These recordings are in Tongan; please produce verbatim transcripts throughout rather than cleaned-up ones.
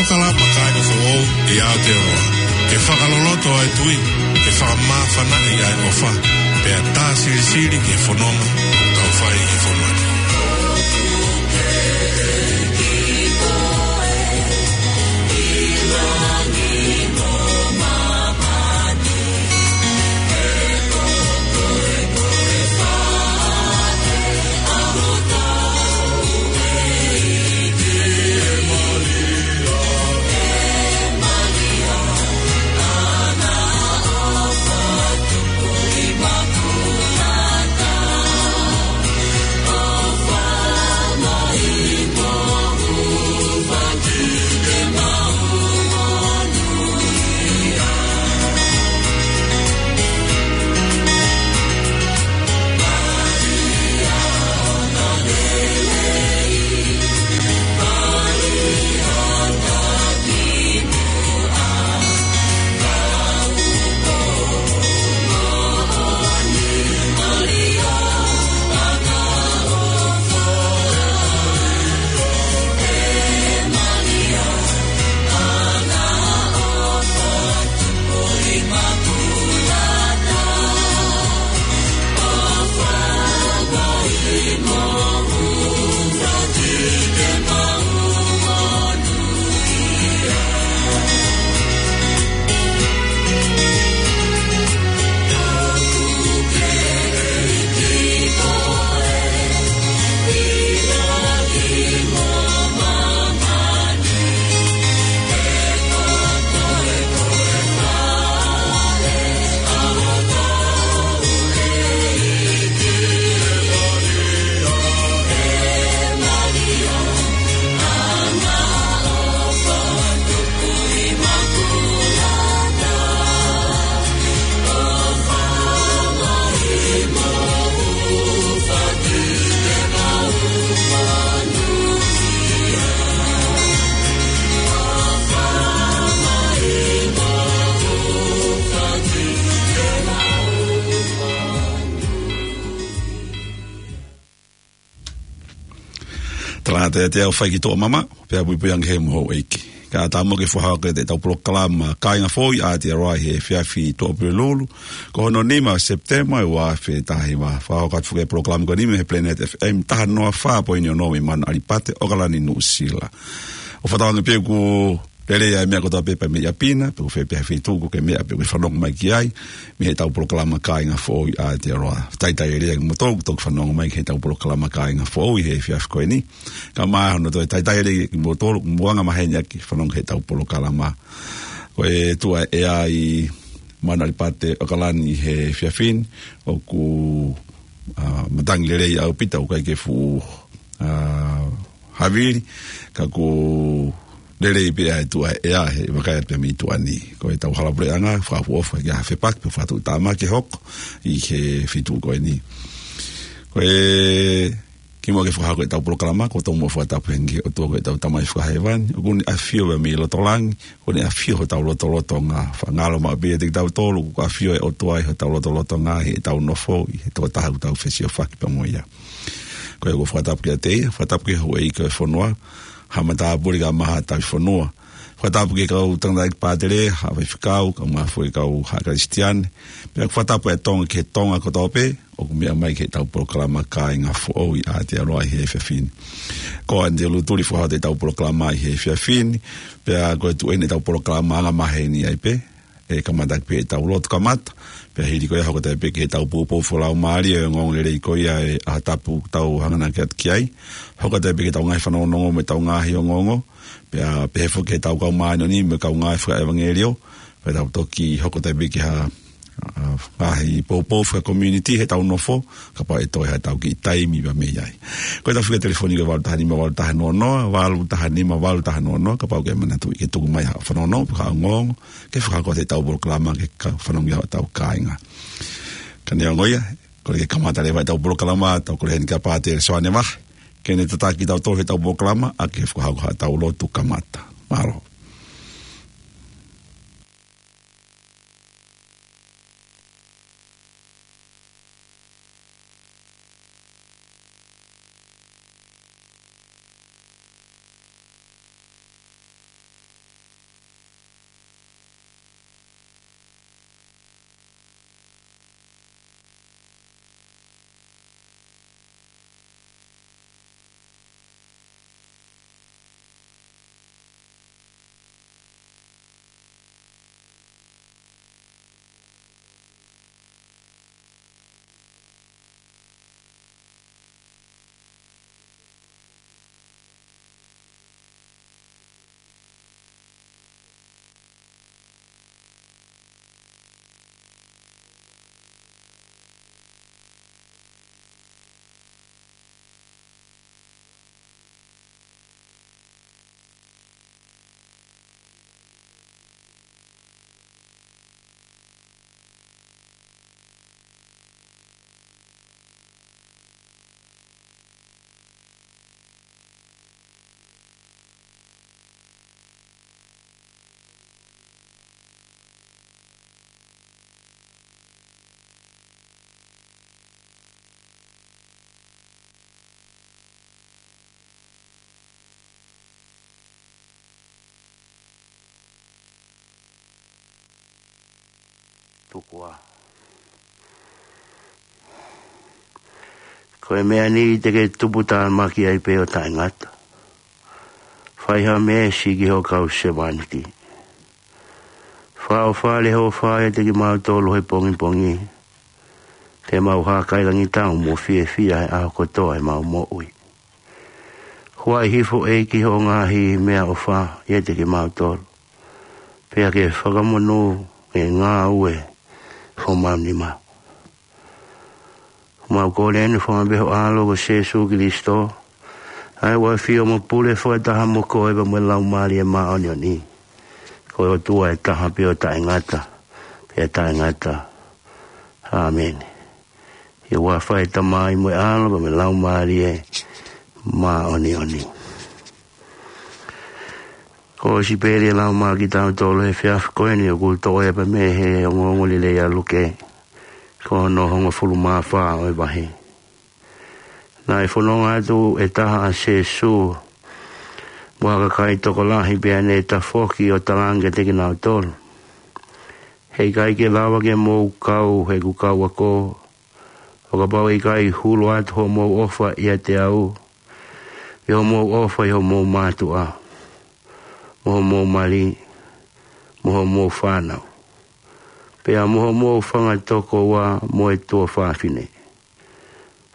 Kalama kāinga foʻou ʻi Aotearoa. Ke fakaloloto ʻa e tui, ke fakamāfanaʻi ʻa e ʻofa, pea tā silisili ki he fononga ʻoku tau fai ʻi he fonua ni. Tala atu ʻe te au fai ki tuʻa mama, pea puipui ange he mo houʻeiki. Kae ʻatā muʻa ke fakahoko atu ʻetau polokalama Kāinga Foʻou ʻi Aotearoa he efiafi Tuʻapulelulu, ko hono nima Sepitema ʻo e ua afe taha hiva. Fakahoko atu foki e polokalama ko eni mei he Planet F M taha noa fā poini ono mei Manu ʻAlipate, ʻAokalani, Nuʻusila. ʻOku fakatauange pē ʻoku lelei ʻa e meʻa kotoa pē pea mei ʻapi na, pe ko fē pē ha feituʻu ʻoku ke meʻa pe ʻoku ke fanongo mai ki ai, mei heʻetau polokalama Kāinga Foʻou ʻi Aotearoa. Talitali lelei kimoutolu ʻoku toki fanongo mai ki heʻetau polokalama Kāinga Foʻou ʻi he efiafi ko eni. Kae ʻumaʻā hono toe talitali lelei kimoutolu ʻoku mou anga maheni ʻaki e fanongo ki heʻetau polokalama. Ko e tuʻa ʻea ʻi Manu ʻAlipate, ʻAokalani, he efiafi ni, ʻoku, ʻa, matangi lelei ʻaupito, ʻoku ʻikai ke fuʻu, ʻa, havili, ka ʻoku lelei pē ʻa e tuʻa ʻea he vakai atu pē mei tuʻa ni. Ko ʻetau hala puleʻanga, fakaʻofoʻofa ki ha fepaki, pe fakatuʻutāmaki ʻe hoko ʻi he feituʻu ko eni. Ko e kimuʻa ke fakahoko ʻetau polokalama, ʻoku tau muʻa fakatapu heni ki he ʻOtua ko ʻetau Tamai Fakahēvani, ʻoku ne ʻafio pē mei loto langi, ʻoku ne ʻafio hotau lotolotonga. Fakangalo maʻu pē ʻiate kitautolu, ʻoku ʻafio e ʻOtua ʻi hotau lotolotonga, ʻi heʻetau nofo, ʻi he tokotaha ʻoku tau fesiofaki pea mo ia. Ko ia ʻoku ou fakatapu kiate ia, fakatapu ki he houʻeiki ʻo e fonua, Haʻa Matāpule kae ʻumaʻā Haʻa Tauhi Fonua. Fakatapu ki he kau tangataʻeiki pātele, haʻa faifekau, kae ʻumaʻā foki e kau haʻa Kalisitiane. Pea ʻoku fakatapu ʻa Tonga ki he Tonga kotoa pē ʻoku meʻa mai ki heʻetau polokalama Kāinga Foʻou ʻi Aotearoa ʻi he efiafi ni. Ko ʻAnite Lutuli fakahohaʻa ʻetau polokalama ʻi he efiafi ni, pea ko e tuʻu eni ʻetau polokalama anga maheni ai pē, ʻe kamata pē ʻetau lotu kamata, pea hili ko ia hoko atu pē ki heʻetau poupou fakalaumālie ʻo e ongoongolelei ko ia ʻo e ʻaho tapu ʻoku tau hanganaki atu ki ai, hoko atu pē ki heʻetau ngaahi fanongonongo mo ʻetau ngaahi ongoongo, pea pehē foki ki heʻetau kau māʻoniʻoni mo e kau ngāue fakaʻevangeliō, pea tau toki hoko atu pē ki ha, ʻa, ngaahi poupou faka-community heʻetau nofo, kapau ʻe toe haʻatau kiʻi taimi pea mei ai. Ko ʻetau fika telefoni ko e valu taha nima valu taha noa noa, valu taha nima valu taha noa noa, kapau ʻoku ke manatuʻi ke tuku mai haʻo fanongonongo, pe ko haʻo ongoongo, ke fakahoko atu ʻetau polokalama ke ka-, fanongo ʻi ai hotau kāinga. Ka neongo ia, kole ke kamata leva ʻetau polokalama, tau kole heni kia Pātele Soane Vahe, ke ne tataki kitautolu heʻetau polokalama, ʻaki e fakahoko haʻatau lotu kamata. Mālō. Ko e meʻa ni te ke tuputāmaki ai pē ʻo taʻengata. Fai ha meesi ki hoʻo kau sevāniti. Fakaʻofa leva hoʻo ʻofa ʻiate kimautolu he pongipongi. Te mau hākailangitau mo fiefia he ʻaho kotoa ʻemau moʻui. Huaʻi hifo ʻEiki hoʻo ngaahi meʻaʻofa ʻiate kimautolu. Pea ke fakamonū e ngāue homau nima. Mau kole eni fakamolemole ho ʻAlo ko Sīsū Kalaisi. ʻA ia ʻoku ʻafio mo pule fakataha mo koe pea mo e Laumālie Māʻoniʻoni. Ko e ʻOtua ʻe taha pē ʻo taʻengata, pea taʻengata. ʻĀmeni. ʻI he huafa ʻo e Tamai mo e ʻAlo pea mo e Laumālie Māʻoniʻoni. Ko e sipeli ʻe lau mai kiate kitautolu he efiafi ko eni ʻoku toʻo ia pē mei he ongoongolelei ʻa Luke. Ko hono hongofulu mā fā ʻo e vahe. Naʻe fononga atu e taha ʻa Sīsū mo ha kakai tokolahi pea ne tafoki ʻo talaange kiate kinautolu: He ʻikai ke lava ke mou kau heʻeku kau ako, ʻo kapau ʻe ʻikai hulu atu hoʻomou ʻofa ʻiate au, ʻi hoʻomou ʻofa ʻi homou mātuʻa, mo homou mali, mo homou fānau, pea mo homou fanga tokoua mo e tuofāfine,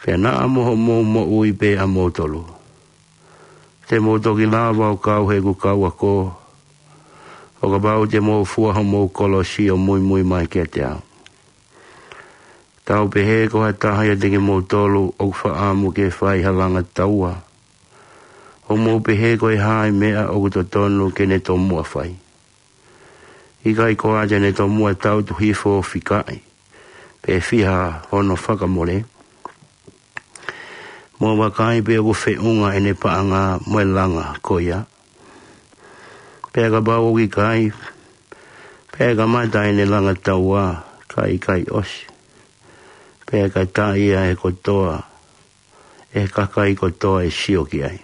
pea naʻa mo hoʻomou moʻui pē ʻamoutolu. Te mou toki lava ʻo kau heʻeku kau ako, ʻo kapau te mou fua homou kolosi ʻo muimui mai kiate au. Tau pehē ko ha taha ʻiate kimoutolu ʻoku fakaʻamu ke fai ha langa taua, ʻo mou pehē ko e hā e meʻa ʻoku totonu ke ne tomuʻa fai. ʻIkai koā te ne tomuʻa tangutu hifo ʻo fikaʻi, pe fiha hono fakamole? Mou vakai pe ʻoku feʻunga ʻene paʻanga mo e langa ko ia. Pea kapau ʻoku ʻikai, pea kamata ʻene langa taua, ka ʻikai ʻosi, pea ka taʻi ia ʻe he kotoa, ʻe he kakai kotoa ʻe sio ki ai.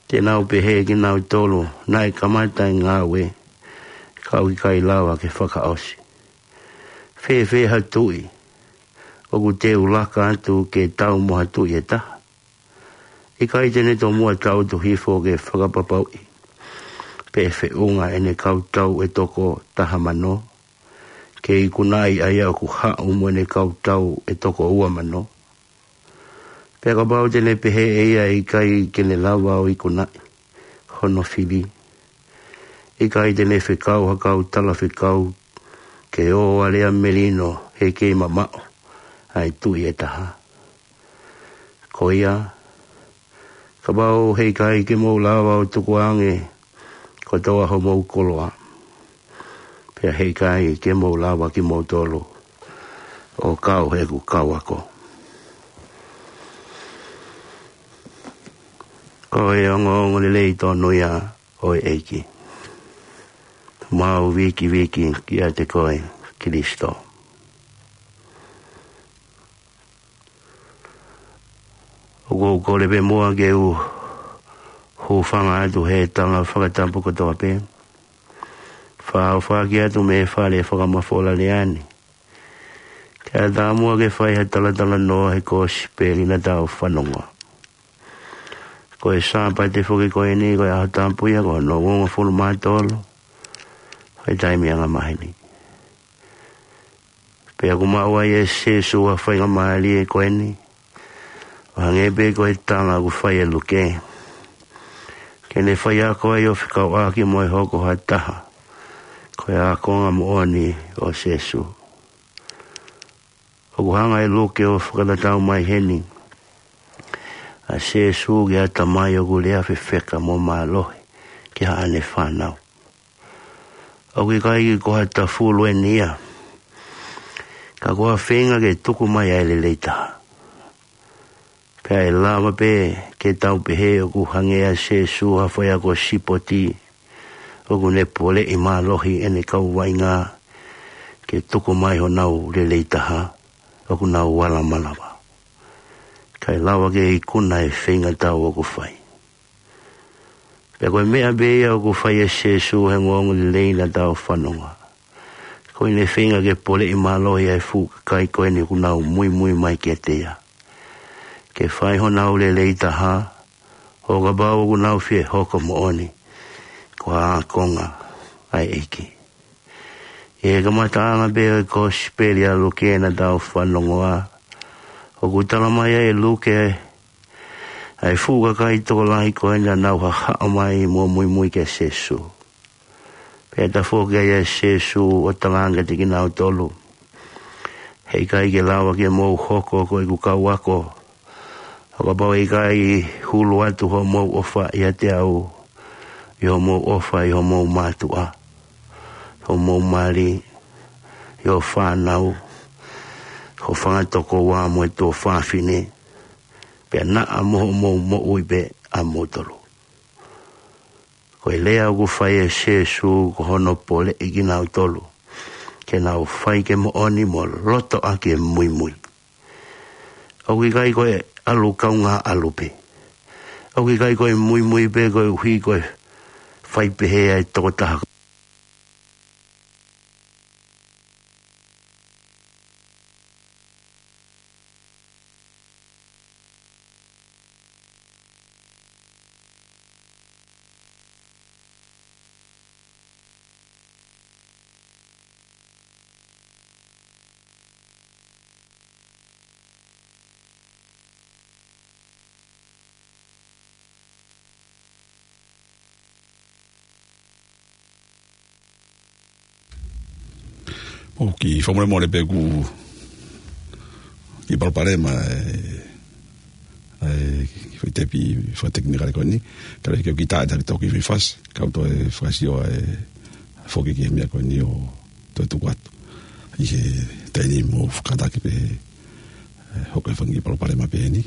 Te nau pehē kinautolu naʻe kamata e ngāue, ka ʻoku ʻikai lava ke fakaʻosi. Fēfē ha tuʻi ʻoku teu laka atu ke tau mo ha tuʻi ʻe taha? ʻIkai te ne tomuʻa tangutu hifo ke fakapapauʻi pe ʻe feʻunga ʻene kau tau ʻe toko taha mano, ke ikunaʻi ʻa ia ʻoku haʻu mo ʻene kau tau ʻe toko ua mano? Pea kapau te ne pehē ʻe ia ʻe ʻikai ke ne lava ʻo ikunaʻi hono fili, ʻikai te ne fekau ha kau talafekau ke ō ʻo alea melino he kei mamaʻo ʻa e tuʻi ʻe taha? Ko ia, kapau he ʻikai ke mou lava ʻo tukuange kotoa homou koloa, pea he ʻikai ke mou lava kimoutolu ʻo kau heʻeku kau ako. Ko e ongoongolelei tonu ia ʻo e ʻEiki. Mau vikiviki kiate koe, Kalaisi. ʻOku ou kole pē muʻa ke u hūfanga atu he tala fakatapu kotoa pē. Fakaʻofoʻofa atu mei he fale fakamafola lea ni. Kae ʻatā muʻa ke fai ha talatalanoa he kosipeli naʻa tau fanongoa. Ko e Sāpate foki ko eni, ko e ʻaho tapu ia, ko hono uofulu mā tolu ʻo e taimi angamaheni. Pea ʻoku maʻu ai ʻe Sīsū ʻa e faingamālie ko eni, ʻo hangē pē ko e tala ʻoku fai ʻe Luke, ke ne faiako ai ʻo fekauʻaki mo e hoko ha taha ko e ākonga moʻoni ʻo Sīsū. ʻOku hanga ʻe Luke ʻo fakatatau mai heni ʻa Sīsū ki ha tamai ʻoku lea fefeka mo mālohi ki haʻane fānau. ʻOku ʻikai ko ha tafulu eni ia, ka ko ha feinga ke tuku mai ʻa e lelei taha. Pea ʻe lava pē ke tau pehē ʻoku hangē ʻa Sīsū ha faiako sipoti ʻoku ne poleʻi mālohi ʻene kau vaʻinga ke tuku mai honau lelei taha ʻoku nau ala malava. Kae lava ke ikuna e feinga tau ʻoku fai. Pea ko e meʻa pē ia ʻoku fai ʻe Sīsū he ongoongolelei naʻa tau fanongoa. Ko ʻene feinga ke poleʻi mālohi ʻa e fuʻu kakai ko eni ʻoku nau muimui mai kiate ia, ke fai honau lelei taha, ʻo kapau ʻoku nau fie hoko moʻoni ko ha ākonga ʻa e ʻEiki. ʻI he kamataʻanga pē ʻo e Kosipeli ʻa Luke naʻa tau fanongoa, ʻoku tala mai ʻe Luke ʻa e fuʻu kakai tokolahi ko eni naʻa nau hahaʻo mai mo muimui kia Sīsū. Pea tafoki ai ʻa Sīsū ʻo talaange kiate kinautolu: Heʻikai ke lava ke mou hoko ko ʻeku kau ako, ʻo kapau ʻe ʻikai hulu atu hoʻomou ʻofa ʻiate au, ʻi hoʻomou ʻofa ʻi homou mātuʻa, homou mali, ʻi hoʻo fānau, ho fanga tokoua mo e tuofāfine, pea naʻa mo hoʻomou moʻui pē ʻamoutolu. Ko e lea ʻoku fai ʻe Sīsū ko hono poleʻi kinautolu ke nau fai ke moʻoni mo loto ʻaki e muimui. ʻOku ʻikai ko e ʻalu kaungā ʻalu pē. ʻOku ʻikai ko e muimui pē koeʻuhi ko e fai pehē ʻa e tokotaha. ʻOku fakamolemole pē ʻoku kiʻi palopalema ʻa e, ʻa e kiʻi foʻi tepi fakatekinikale ko eni. Ka ʻoku ʻikai ke u kiʻi tā ʻe taki toki fifas, ka u toe fakasio ʻa e foki ki he meʻa ko eni ʻo toe tuku atu. ʻI he taimi ni mou fakataki pē, ʻe, hoko e fanga kiʻi palopalema pē eni.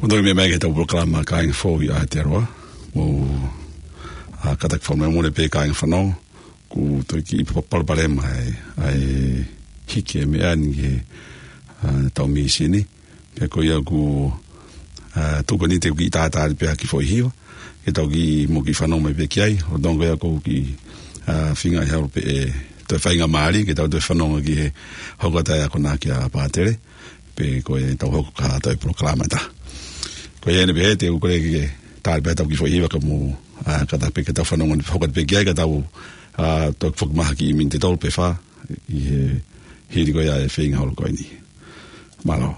Mou toe meʻa mai ki heʻetau polokalama Kāinga Fou ʻi Aotearoa. Mou, ā, kātaki fakamolemole pē kāinga fanongo. ʻOku toe kiʻi palopalema ʻa e, ʻa e hiki e meʻa ni ki he, ā, ʻetau mīsini. Pea ko ia ʻoku, ā, tuku eni te u kiʻi tātāli pē ha kiʻi foʻi hiva. Ke tau kiʻi, mou kiʻi fanongo mai pē ki ai. ʻO tonga ia ʻoku ou kiʻi, ā, feinga ʻi he ʻaho pē ʻe toe faingamālie, ke tau toe fanongo ki he hoko atu e akonaki ʻa Pātele. Pea ko ʻetau hoko ki ha toe polokalama ʻe taha. Ko ia eni pē te u kole ke tāli pē ʻetau kiʻi foʻi hiva ka mou, ā, kātaki pē ke tau fanongo ni hoko atu pē ki ai ka tau, ā, toe foki mai ha kiʻi miniti ʻe tolu pe fā ʻi he hili ko ia e feinga holo ko eni. Mālō.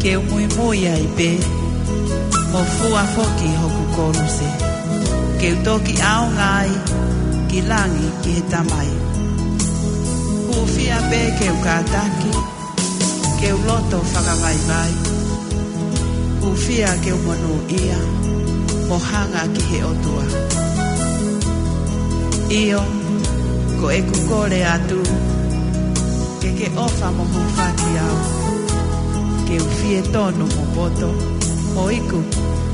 Ke u muimui ai pē, mo fua foki hoku koluse. Ke u toki ʻaonga ai ki langi ki he Tamai. Hūfia pē ke u kātaki, ke u loto fakavaivai. Hūfia ke u monūʻia, mo hanga ki he ʻOtua. ʻIo, ko ʻeku kole atu, ke ke ʻofa mo hūfaki au. Ke u fie tonu mo poto, mo iku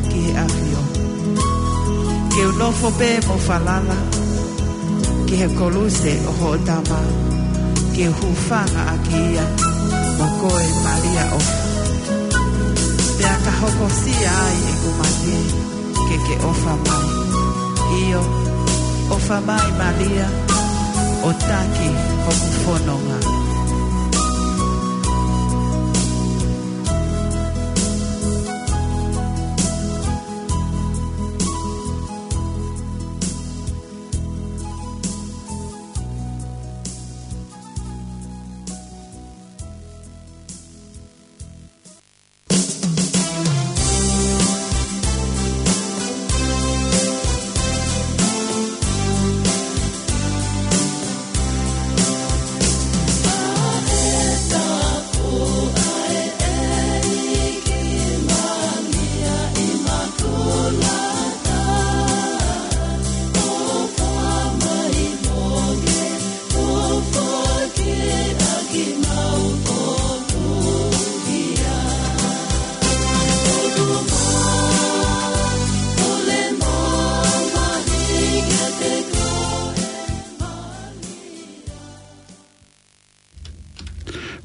ki he ʻAfio. Ke u nofo pē mo falala, ki he koluse ʻo hoʻo Tama, ke u hūfanga ʻaki ia, mo koe Malia ʻofa. Pea ka hokosia ai ʻeku mate, ke ke ʻofa mai. ʻIo, ʻofa mai Malia, ʻo taki hoku fononga.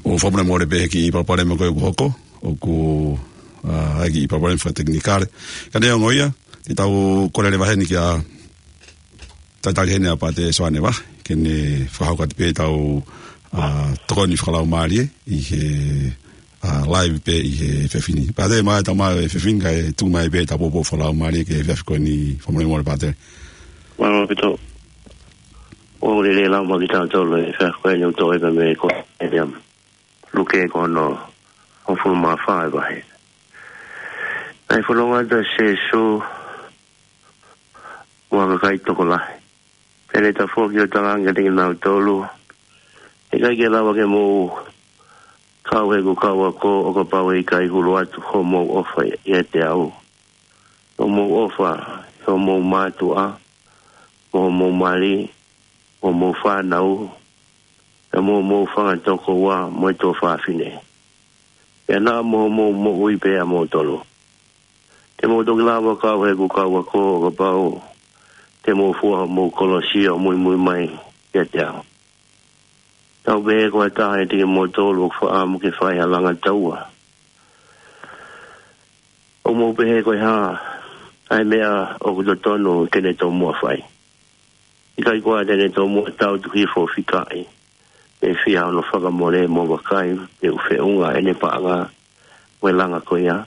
ʻOku fakamolemole pē he kiʻi palopalema ko ē kuo hoko, ʻoku, ʻa, ʻi ai e kiʻi palopalema fakatekinikale. Ka neongo ia, te tau kole leva heni kia talitali heni ʻa Pātele Soane Vahe, ke ne fakahoko atu pē ʻetau, ʻa, tokoni fakalaumālie ʻi he, ʻa, live pē ʻi he efiafi ni. Pātele, mai ʻetau maʻu e efiafi ni kae tuku mai pē ʻetau poupou fakalaumālie ki he efiafi ko eni, fakamolemole Pātele. Mālō ʻaupito. ʻOku lelei e lau mai kiate kitautolu he efiafi ko eni ʻoku toʻo pē mei he Kōsipeli ʻa Luke ko hono hongofulu mā fā e vahe. Naʻe fononga atu ʻa Sīsū mo ha kakai tokolahi. Pea ne tafoki ʻo talaange kiate kinautolu, ʻE ʻikai ke lava ke mou kau heʻeku kau ako ʻo kapau ʻe ʻikai hulu atu hoʻomou ʻofa ʻiate au. Hoʻomou ʻofa ʻi hoʻomou mātuʻa, mo hoʻomou mali, mo hoʻomou fānau, pea mo hoʻomou fanga tokoua mo e tuofāfine. Pea naʻa mo hoʻomou moʻui pē ʻamoutolu. Te mou toki lava ʻo kau heʻeku kau ako ʻo kapau te mou fua hoʻomou kolosi ʻo muimui mai kiate au. Tau pehē ko ha taha ʻiate kimoutolu ʻoku fakaʻamu ke fai ha langa taua. ʻOku mou pehē ko e hā ʻa e meʻa ʻoku totonu ke ne tomuʻa fai? ʻIkai koā te ne tomuʻa tautu hifo ʻo fikaʻi, pe fai hono fakamole mo vakai pe ʻoku feʻunga ʻene paʻanga mo e langa ko ia?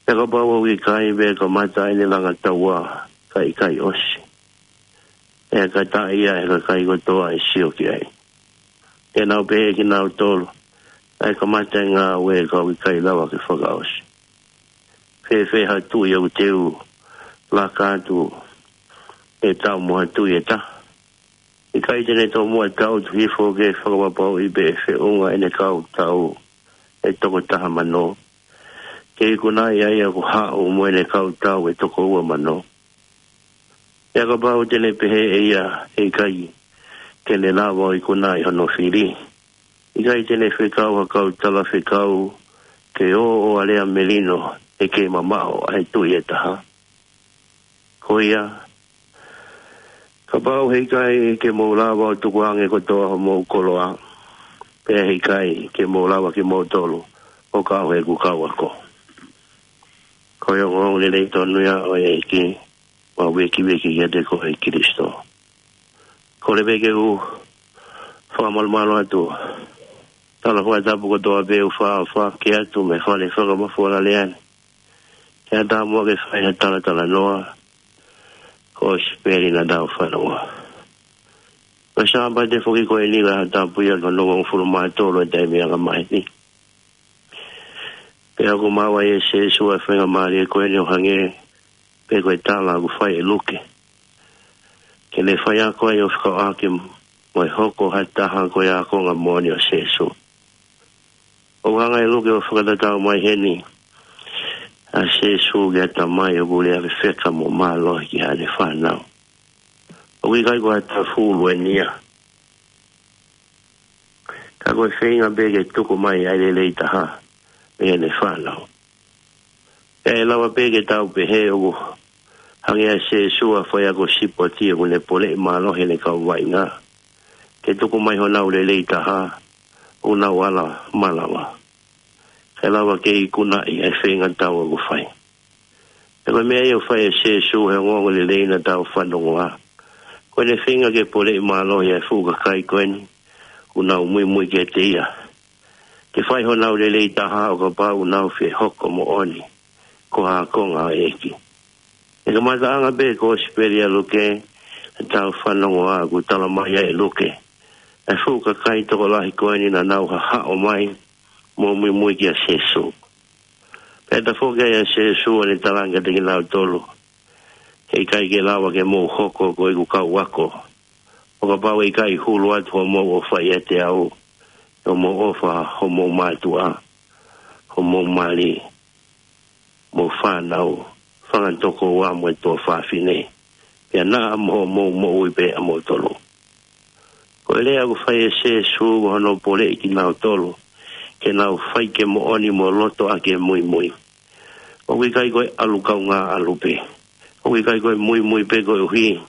Pea kapau ʻoku ʻikai, pea kamata ʻene langa taua kae ʻikai ʻosi, ʻe kātaki ia ʻe he kakai kotoa ʻe sio ki ai. Te nau pehē kinautolu, ʻA e kamata e ngāue ka ʻoku ʻikai lava ke fakaʻosi. Fēfē ha tuʻi ʻoku teu laka atu ʻe tau mo ha tuʻi ʻe taha? ʻIkai te ne tomuʻa tautu hifo ke fakapapauʻi pe ʻe feʻunga ʻene kau tau ʻe toko taha mano, ke ikunaʻi ʻa ia kuo haʻu mo ʻene kau tau ʻe toko ua mano? Pea kapau te ne pehē ʻe ia ʻe ʻikai ke ne lava ʻo ikunaʻi hono fili, ʻikai te ne fekau ha kau talafekau ke ō ʻo alea melino ʻe kei mamaʻo ʻa e tuʻi ʻe taha? Ko ia, kapau he ʻikai ke mou lava ʻo tukuange kotoa hoʻomou koloa, pea he ʻikai ke mou lava kimoutolu ʻo kau heʻeku kau ako. Ko e ongoongo lelei tonu ia ʻo e ʻEiki, mo e vīkiviki kiate koe ʻe Kalaisi. Kole pē ke u fakamalumalu atu. Tala fakatapu kotoa pē ʻoku faʻa fakahoko atu mei he fale fakamafola lea ni. Ke ʻatā muʻa ke fai ha talatalanoa, Kōsipeli naʻa tau fanongoa. Ko e Sāpate foki ko eni, ko e ʻaho tapu ia, ko hono hongofulu mā tolu ʻo e taimi ʻa e anga maheni. Pea ʻoku maʻu ai ʻe Sēsū ʻa e faingamālie ko eni ʻo hangē pē ko e tala ʻoku fai ʻe Luke, ke ne faiako ai ʻo fekauʻaki mo e hoko ha taha ko e ākonga moʻoni ʻo Sēsū. ʻOku hanga ʻe Luke ʻo fakatatau mai heni ʻa Sēsū ki ha tamai ʻoku lea fefeka mo mālohi ki haʻane fānau. ʻOku ʻikai ko ha tafulu eni ia, ka ko e feinga pē ke tuku mai ʻa e lelei taha mei heʻene fānau. Pea ʻe lava pē ke tau pehē ʻoku hangē ʻa Sēsū ha faiako sipoti ʻoku ne poleʻi mālohi ʻene kau vaʻinga ke tuku mai honau lelei taha ʻoku nau ala malava, kae lava ke ikunaʻi ʻa e feinga tatau ʻoku fai. Pea ko e meʻa ia ʻoku fai ʻe Sēsū he ongoongo lelei naʻa tau fanongoa. Ko ʻene feinga ke poleʻi mālohi ʻa e fuʻu kakai ko eni ʻoku nau muimui kiate ia, ke fai honau lelei taha ʻo kapau ʻoku nau fie hoko moʻoni ko ha ākonga ʻo e ʻEiki. ʻI he kamataʻanga pē ʻo e Kōsipeli ʻa Luke, naʻa tau fanongoa ʻoku tala mai ai ʻe Luke ʻa e fuʻu kakai tokolahi ko eni naʻa nau hahaʻo mai mo muimui kia Sēsū. Pea tafoki ai ʻa Sēsū ʻo ne talaange kiate kinautolu, heʻikai ke lava ke mou hoko ko ʻeku kau ako ʻo kapau ʻe ʻikai hulu atu hoʻomou ʻofa ʻiate au, ʻi hoʻomou ʻofa homou mātuʻa, homou mali, mo e fānau, fanga tokoua mo e tuofāfine, pea naʻa mo hoʻomou moʻui pē ʻa moutolu. Ko e lea ʻoku fai ʻe Sēsū ko hono poleʻi kinautolu ke nau fai ke moʻoni mo loto ʻaki e muimui. ʻOku ʻikai ko e ʻalu kaungā ʻalu pē. ʻOku ʻikai ko e muimui pē koeʻuhi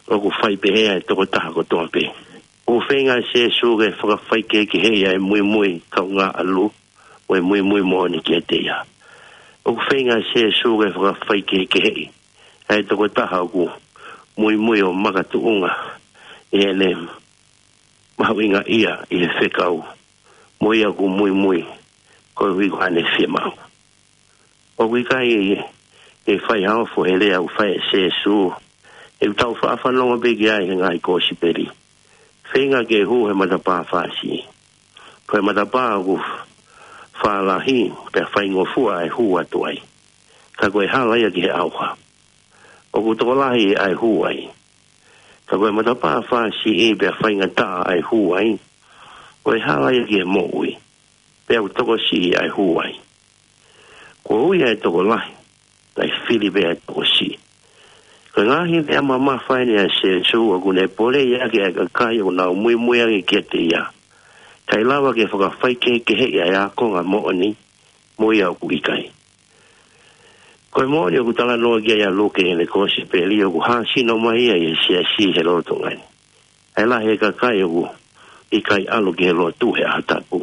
ʻoku fai pehē ʻa e tokotaha kotoa pē. ʻOku feinga ʻa Sēsū ke fakafaikehekeheʻi ʻa e muimui kaungā ʻalu mo e muimui moʻoni kiate ia. ʻOku feinga ʻa Sēsū ke fakafaikehekeheʻi ʻa e tokotaha ʻoku muimui ʻo makatuʻunga ʻi heʻene mahuʻingaʻia ʻi he fekau mo ia ʻoku muimui koeʻuhi ko haʻane fiemaʻu. ʻOku ʻikai ke fai ha ofo he lea ʻoku fai ʻe Sēsū, ʻoku tau faʻa fanongo pē ki ai he ngaahi Kōsipeli. Feinga ke hū he matapā fāsiʻi. Ko e matapā ʻoku fālahi pea faingofua ʻa e hū atu ai, ka ko e hala ia ki he ʻauha. ʻOku tokolahi ʻa e hū ai. Ka ko e matapā fāsiʻi pea faingataʻa ʻa e hū ai, ko e hala ia ki he moʻui, pea ʻoku tokosiʻi ʻa e hū ai. Ko e ui ʻa e tokolahi, kae fili pē ʻa e tokosiʻi. Ko e ngaahi meʻa mamafa eni ʻa Sēsū ʻoku ne poleʻi ʻaki ʻa e kakai ʻoku nau muimui ange kiate ia, kae lava ke fakafaikehekeheʻi ʻa e ākonga moʻoni mo ia ʻoku ʻikai. Ko e moʻoni ʻoku talanoa ki ai ʻa Luke ʻi heʻene Kōsipeli ʻoku hāsino mai ia ʻi he siasi he lolotonga ni. ʻA e lahi e kakai ʻoku ʻikai ʻalu ki he lotu he ʻaho tapu.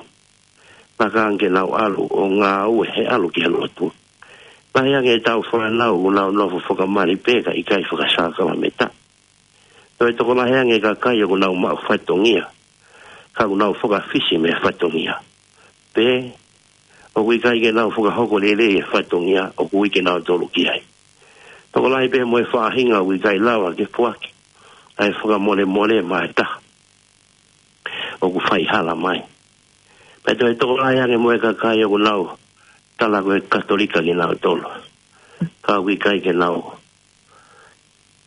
Laka ange ke nau ʻalu ʻo ngāue he ʻalu ki he lotu. Lahi ange ʻetau fānau ʻoku nau nofo fakamali pē kae ʻikai fakasākalamēniti. Toe tokolahi ange e kakai ʻoku nau maʻu fatongia, ka ʻoku nau fakafisi mei he fatongia. Pe, ʻoku ʻikai ke nau fakahoko lelei e fatongia ʻoku ui kinautolu ki ai. Tokolahi pē mo e faʻahinga ʻoku ʻikai lava ke foaki ʻa e fakamolemole maʻa e taha ʻoku faihala mai. Pea toe tokolahi ange mo e kakai ʻoku nau tala ko e Katolika kinautolu, ka ʻoku ʻikai ke nau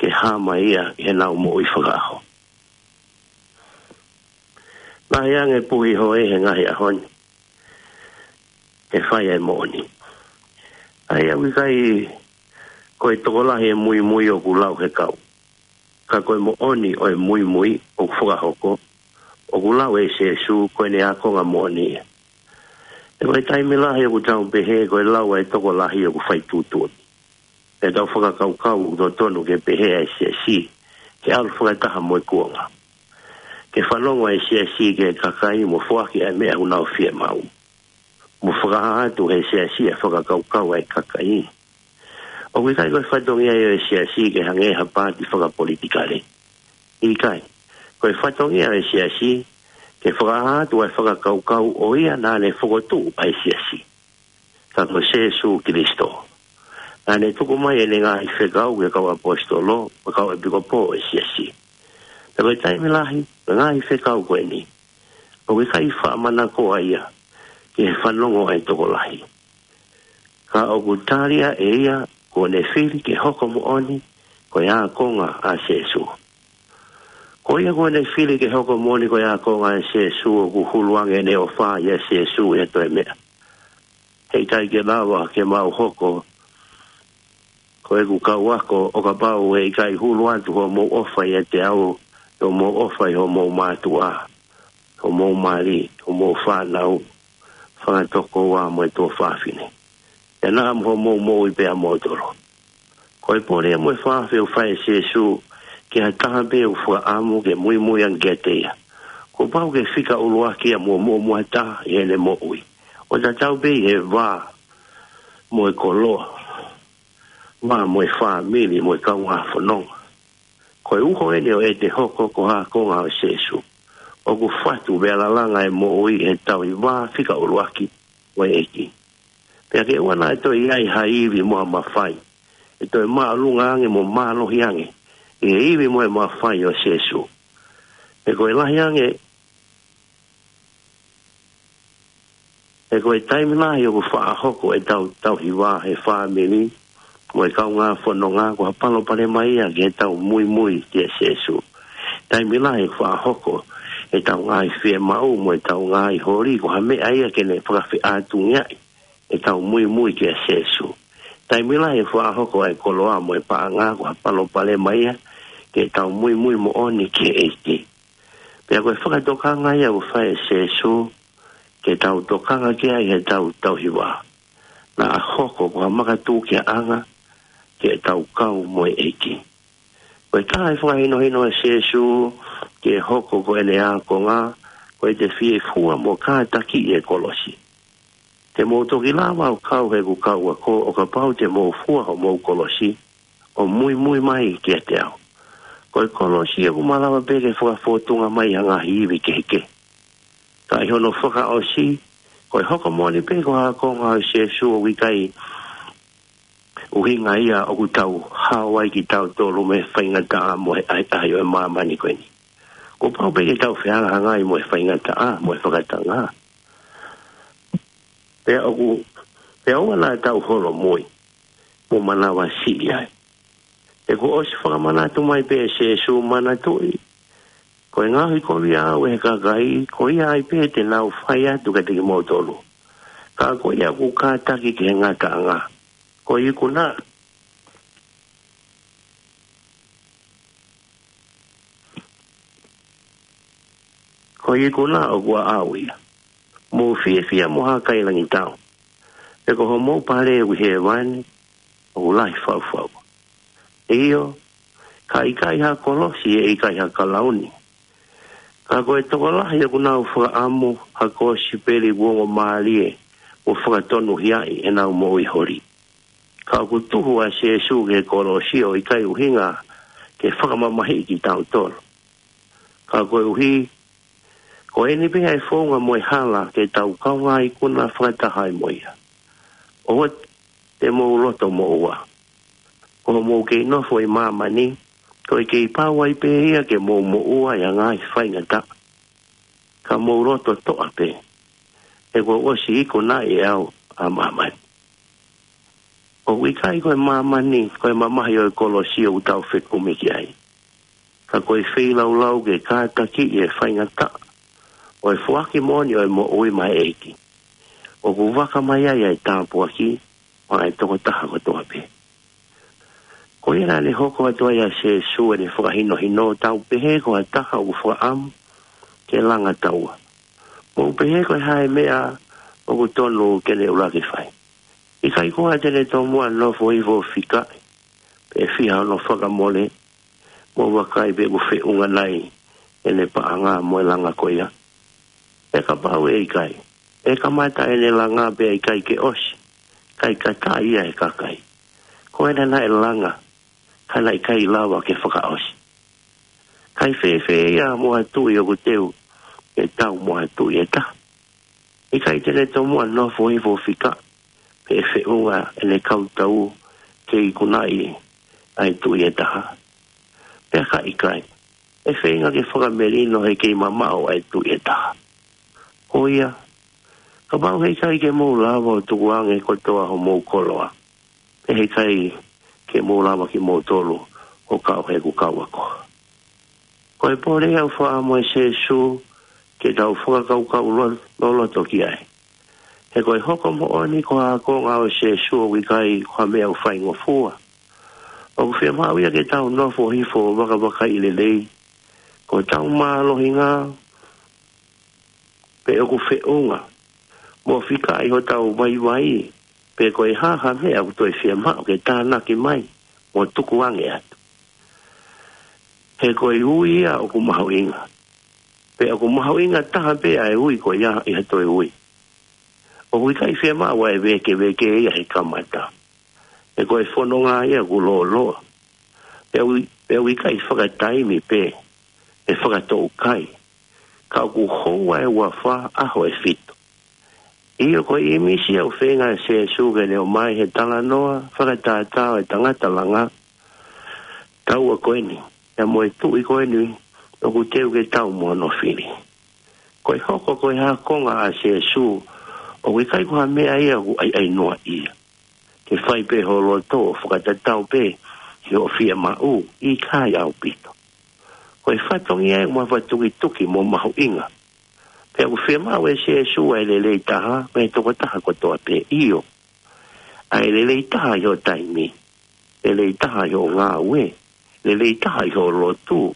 ke hā mai ia ʻi heʻenau moʻui fakaʻaho. Lahi ange puhi hoe he ngaahi ʻaho ni, ʻe fai ʻa e moʻoni. ʻA ia ʻoku ʻikai ko e tokolahi e muimui ʻoku lau he kau, ka ko e moʻoni ʻo e muimui ʻoku fakahoko, ʻoku lau ʻe Sēsū ko ʻene ākonga moʻoni ia. He ko e taimi lahi ʻoku tau pehē ko e lau ʻa e tokolahi ʻoku fai tuʻutuʻuni. ʻE tau fakakaukau ʻoku totonu ke pehē ʻa e siasi ke ʻalu fakataha mo e kuonga, ke fanongo ʻa e siasi ki he kakai mo foaki ʻa e meʻa ʻoku nau fiemaʻu, mo fakahā atu ʻe he siasi ʻa e fakakaukau ʻa e kakai. ʻOku ʻikai ko e fatongia ia ʻo e siasi ke hangē ha paati fakapolitikale. ʻIkai. Ko e fatongia ʻo e siasi ke fakahā atu ʻa e fakakaukau ʻo ia naʻa ne fokotuʻu ʻa e siasi, ka ko Sēsū Kilisito. Naʻa ne tuku mai ʻene ngaahi fekau ki he kau ʻaposetolo mo e kau ʻepikopō ʻo e siasi. Pea ko e taimi lahi, ko e ngaahi fekau ko eni ʻoku ʻikai faʻa manakoa ia ki he fanongo ʻa e tokolahi. Ka ʻoku tali ʻe ia kuo ne fili ke hoko moʻoni ko e ākonga ʻa Sēsū. Ko ia kuo ne fili ke hoko moʻoni ko e ākonga ʻa Sēsū ʻoku hulu ange ʻene ʻofa ʻia Sēsū ʻi ha toe meʻa. Heʻikai ke lava ke mau hoko ko ʻeku kau ako ʻo kapau heʻikai hulu atu hoʻomou ʻofa ʻiate au, hoʻomou ʻofa ʻi hoʻomou mātuʻa, hoʻomou mali, hoʻomou fānau, fanga tokoua mo e tuofāfine. ʻIo naʻa mo hoʻomou moʻui pē ʻa moutolu. Ko e pole mo e fakaafeʻi ʻoku fai ʻe Sēsū ki ha taha pē ʻoku fakaʻamu ke muimui ange kiate ia, kuo pau ke fika ʻuluaki ia mo muʻomuʻa taha ʻi heʻene moʻui. ʻO tatau pē ʻi he vā mo e koloa, vā mo e fāmili mo e kaungā fononga. Ko e uho eni ʻo ʻete hoko ko ha ākonga ʻo Sēsū. ʻOku fatu pea lalanga e moʻui ʻi he tauhi vā fika ʻuluaki ʻo e ʻEiki. Pea ke ʻoua naʻa toe ʻi ai ha ivi mo ha mafai, ʻe toe māʻolunga ange mo mālohi ange ʻi he ivi mo e mafai ʻo Sēsū. He ko e lahi ange, he ko e taimi lahi ʻoku faʻa hoko ʻetau tauhi vā he fāmili mo e kaungā fononga ko ha palopalema ia ki heʻetau muimui kia Sēsū. Taimi lahi ʻoku faʻa hoko ʻetau ngaahi fiemaʻu mo ʻetau ngaahi holi ko ha meʻa ia ke ne fakafeʻātungiaʻi ʻetau muimui kia Sēsū. Taimi lahi ʻoku faʻa hoko ʻa e koloa mo e paʻanga ko ha palopalema ia ki heʻetau muimui moʻoni ki he ʻEiki. Pea ko e fakatokanga ia ʻoku fai ʻe Sēsū ke tau tokanga ki ai heʻetau tauhi vā, naʻa hoko ko ha makatuʻunga ʻanga ki heʻetau kau mo e ʻEiki. Ko e taha e fakahinohino ʻa Sēsū ke hoko ko ʻene ākonga, ko ʻete fie fua mo kātakiʻi e kolosi. Te mou toki lava ʻo kau heʻeku kau ako ʻo kapau te mou fua hoʻomou kolosi ʻo muimui mai kiate au. Ko e kolosi ʻoku malava pē ke fakafōtunga mai ha ngaahi ivi kehekehe. Ka ʻi hono fakaʻosi, ko e hoko moʻoni pē ko ha ākonga ʻo Sēsū ʻoku ʻikai ʻuhinga ia ʻoku tau hao ai kitautolu mei he faingataʻa mo e ʻahiʻahi ʻo e māmani ko eni. Kuo pau pē ke tau fehangahangai mo e faingataʻa mo e fakatanga. Pea ʻoku, pea ʻoua naʻa tau holomui mo manavasiʻi ai. He kuo ʻosi fakamanatu mai pē ʻe Sēsū, manatuʻi, ko e ngaohikovia au ʻe he kakai, ko ia ai pē te nau fai atu kiate kimoutolu. Ka ko ia ʻoku kātaki ki he ngataʻanga, ko e ikuna, ko e ikuna ʻoku ʻaʻau ia. Mou fiefia mo hākailangitau, he ko hoʻomou pale ʻoku ʻi hēvani ʻoku lahi fau. ʻIo, ka ʻikai ha kolosi ʻe ʻikai ha kalauni. Ka ko e tokolahi ʻoku nau fakaʻamu ha kosipeli kuo ongo mālie mo fakatonuhiaʻi ʻenau moʻui holi. Ka ʻoku tuhu ʻa Sēsū ki he kolosi ʻo ʻikai ʻuhinga ke fakamamahiʻi kitautolu. Ka koeʻuhi, ko eni pē ʻa e founga mo e hala ke tau kaungā ikuna fakataha ai mo ia. ʻOua te mou loto moʻua. Ko hoʻomou kei nofo ʻi māmani, ko e kei pau ai pē ia ke mou moʻua ʻi ha ngaahi faingataʻa. Ka mou loto toʻa pē, he kuo ʻosi ikunaʻi ʻe au ʻa māmani. ʻOku ʻikai ko e māmani, ko e mamahi ʻo e kolosi ʻoku tau fekumi ki ai. Ka ko e feilaulau ke kātakiʻi e faingataʻa ʻo e foaki moʻoni ʻo e moʻui maʻa e ʻEiki. ʻOku vaka mai ai ʻa e tāpuaki maʻa e tokotaha kotoa pē. Ko ia naʻa ne hoko atu ai ʻa Sēsū ʻene fakahinohino, tau pehē ko ha taha ʻoku fakaʻamu ke langa taua. Mou pehē ko e hā e meʻa ʻoku tonu ke ne ʻuluaki fai. ʻIkai ko ha te ne tomuʻa nofo hifo ʻo fikaʻi, pe fiha hono fakamole, mo vakai pe ʻoku feʻunga nai ʻene paʻanga mo e langa ko ia. Pea kapau ʻe ʻikai, ʻe kamata ʻene langa pea ʻikai ke ʻosi, kae kata ia ʻe he kakai. Ko ena naʻe langa, ka naʻe ʻikai lava ke fakaʻosi. Kae fēfē ia mo ha tuʻi ʻoku teu ke tau mo ha tuʻi ʻe taha? ʻIkai te ne tomuʻa nofo hifo ʻo fikaʻi, pe ʻe feʻunga ʻene kau tau ke ikunaʻi ʻa e tuʻi ʻe taha? Pea ka ʻikai, ʻe feinga ke fakamelino he kei mamaʻo ʻa e tuʻi ʻe taha. Ko ia, Kapau heʻikai ke mou lava ʻo tukuange kotoa homou koloa, pea heʻikai ke mou lava kimoutolu ʻo kau heʻeku kau ako. Ko e pole ia ʻoku faʻa mo e Sēsū ke tau fakakaukau lo-, loloto ki ai. He ko e hoko moʻoni ko ha ākonga ʻo Sēsū ʻoku ʻikai ko ha meʻa ʻoku faingofua. ʻOku fiemaʻu ia ke tau nofo hifo ʻo vakavakaiʻi lelei ko hotau mālohinga, pe ʻoku feʻunga mo fika ʻi hotau vaivai, pe ko e hā ha meʻa ʻoku toe fiemaʻu ke tānaki mai mo tukuange atu. He ko e ui ia ʻoku mahuʻinga. Pe ʻoku mahuʻinga taha pē ʻa e ui ko ia ʻi ha toe ui. ʻOku ʻikai fiemaʻu ʻa e vēkeveke ia he kamata. He ko e fononga ia ʻoku lōloa. Pea ʻoku, pea ʻoku ʻikai fakataimi pē, ʻe fakatoʻukai. Ka ʻoku houa ʻe uafā ʻaho ʻe fitu. ʻIo, ko e ʻīmisi ʻoku feinga ʻa Sēsū ke ne ʻomai he talanoa fakatātā ʻo e tangata langa taua ko eni, pea mo e tuʻi ko eni ʻoku teu ke tau mo hono fili. Ko e hoko ko e ākonga ʻa Sēsū, ʻoku ʻikai ko ha meʻa ia ʻoku ʻaiʻainoa ia. Ke fai pē ho loto ʻo fakatatau pē ki hoʻo fiemaʻu, ʻikai ʻaupito. Ko e fatongia ia ʻoku mafatukituki mo mahuʻinga. Pea ʻoku fiemaʻu ʻe Sēsū ʻa e lelei taha mei he tokotaha kotoa pē, ʻio. ʻA e lelei taha ʻi hoʻo taimi, lelei taha ʻi hoʻo ngāue, lelei taha ʻi hoʻo lotu,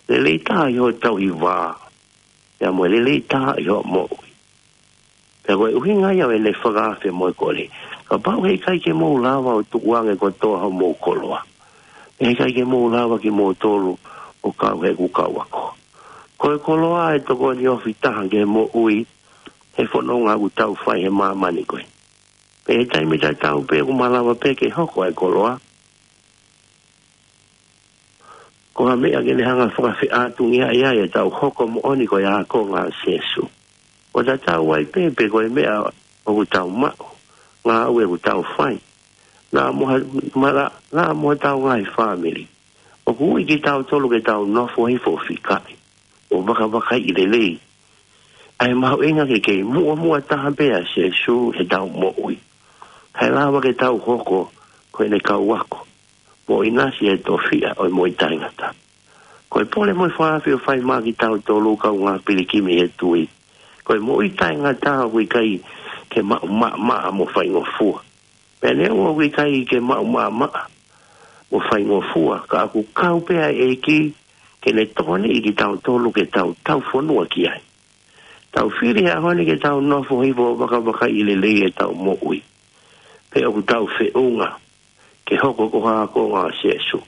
lelei taha ʻi hoʻo tauhi vā, pea mo e lelei taha ʻi hoʻo moʻui. Pea ko e ʻuhinga ia ʻo ʻene fakaafe mo e kole: Kapau heʻikai ke mou lava ʻo tukuange kotoa homou koloa, pea heʻikai ke mou lava kimoutolu ʻo kau heʻeku kau ako. Ko e koloa ʻe tokoni ofi taha ki he moʻui he fononga ʻoku tau fai he māmani ko ē. Pea ʻi he taimi tatau pē ʻoku malava pē ke hoko ʻa e koloa ko ha meʻa ke ne hanga fakafeʻātungiaʻi ai ʻetau hoko moʻoni ko e ākonga ʻa Sēsū. ʻO tatau ai pē pe ko e meʻa ʻoku tau maʻu, ngāue ʻoku tau fai, naʻa mo ha, mala, naʻa mo hotau ngaahi fāmili. ʻOku ui kitautolu ke tau nofo hifo ʻo fikaʻi ʻo vakavakaiʻi lelei ʻa e mahuʻinga ke kei muʻomuʻa taha pē ʻa Sēsū heʻetau moʻui, kae lava ke tau hoko ko ʻene kau ako mo ʻinasi he tofiʻa ʻo e moʻui taʻengata. Ko e pole mo e fakaafe ʻoku fai maʻa kitautolu kaungā pilikimi he tui, ko e moʻui taʻengata ʻoku ʻikai ke maʻu maʻamaʻa mo faingofua. Pea neongo ʻoku ʻikai ke maʻu maʻamaʻa mo faingofua, ka ʻoku kau pē ʻa e ʻEiki ke ne tokoniʻi kitautolu ke tau taufonua ki ai. Tau fili he ʻaho ni ke tau nofo hifo ʻo vakavakaiʻi lelei ʻetau moʻui, pe ʻoku tau feʻunga ke hoko ko ha ākonga ʻa Sēsū.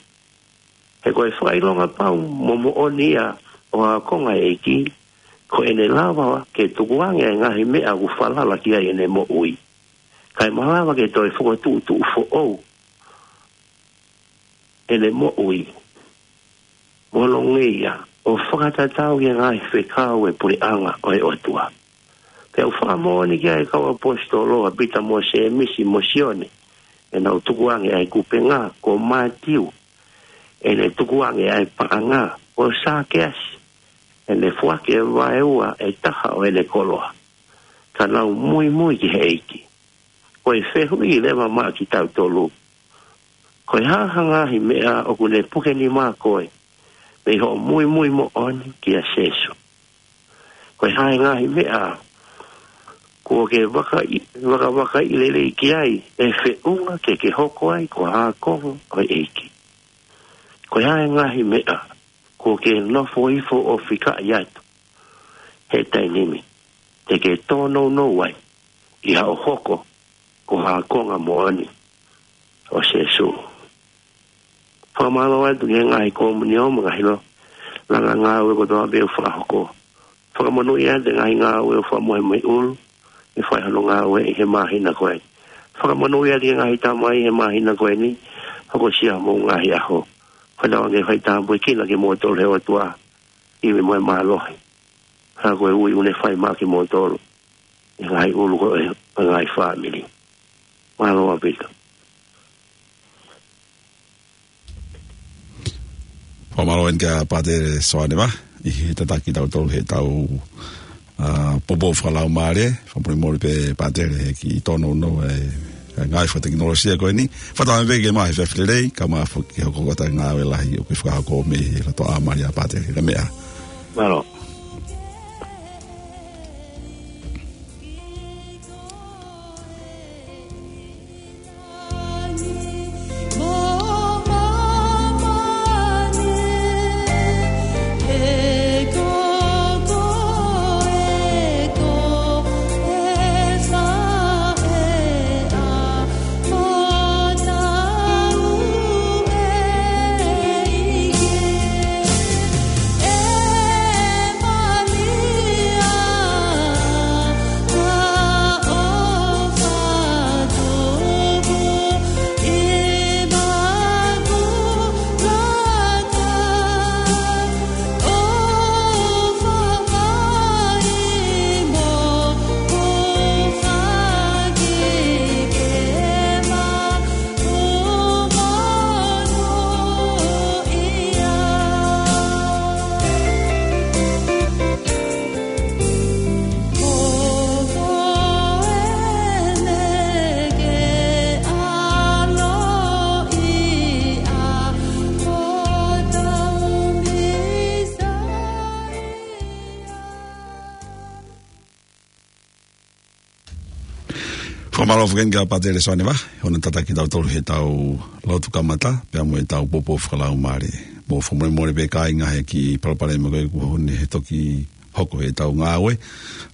He ko e fakaʻilonga pau mo moʻoni ia ʻo ha ākonga ʻa e ʻEiki, ko ʻene lava ke tukuange ʻa e ngaahi meʻa ʻoku falala ki ai ʻene moʻui, kae malava ke toe fokotuʻutuʻu foʻou ʻene moʻui mo hono ngeia, ʻo fakatatau ki he ngaahi fekau ʻo e puleʻanga ʻo e ʻOtua. Pea ʻoku fakamoʻoni ki ai ʻa e kau ʻaposetolo ʻa Pita mo Sēmisi mo Sione, ʻenau tukuange ʻa e kupenga; ko Mātiu, ʻene tukuange ʻa e paʻanga; ko Sākeasi, ʻene foaki ʻa e vaeua ʻe taha ʻo ʻene koloa, ka nau muimui ki he ʻEiki. Ko e fehuʻi leva maʻa kitautolu: Ko e hā ha ngaahi meʻa ʻoku ne puke nima koe mei hoʻo muimui moʻoni kia Sēsū? Ko e hā e ngaahi meʻa kuo ke vakai-, vakavakaiʻi lelei ki ai ʻe feʻunga ke ke hoko ai ko ha ākonga ʻo e ʻEiki? Ko e hā e ngaahi meʻa kuo ke nofo hifo ʻo fikaʻi atu he taimi ni te ke tōnounou ai ʻi haʻo hoko ko ha ākonga moʻoni ʻo Sēsū? Fakamālō atu ki he ngaahi komiunio mo e ngaahi lo-, langa ngāue kotoa pē ʻoku fakahoko. Fakamonūʻia atu e ngaahi ngāue ʻoku fakamohe mei ʻulu ʻi he fai hono ngāue ʻi he māhina ko ē. Fakamonūʻia atu ki he ngaahi tamai he māhina ko eni, hokosia homou ngaahi ʻaho. Fakatauange ke fai tāpuekina kimoutolu ʻe he ʻOtua, ʻi he moʻui mālohi. Ka ko e ui ʻoku ne fai maʻa kimoutolu ʻi he ngaahi ʻulu ko ē ʻo e ngaahi fāmili. Mālō ʻaupito. Fakamālō eni kia Pātele Soane Vā, ʻi he tataki kitautolu heʻetau ʻa, poupou fakalaumālie, fakamolemole pē Pātele he kiʻi tōnounou e, e ngāue fakatekinolosia ko eni. Fakatauange pē ke maʻu ha efiafi lelei, kae maʻu foki ke hoko atu e ngāue lahi ʻoku ke fakahoko mei he lotoʻā mali ʻa Pātele. Ka meʻa. Mālō. Fakamālō foki kia Pātele Soane Vahe, hono tataki kitautolu heʻetau lotu kamata, pea mo ʻetau poupou fakalaumālie. Mou fakamolemole pē kāinga he kiʻi palopalema ko ē kuo ne toki hoko heʻetau ngāue,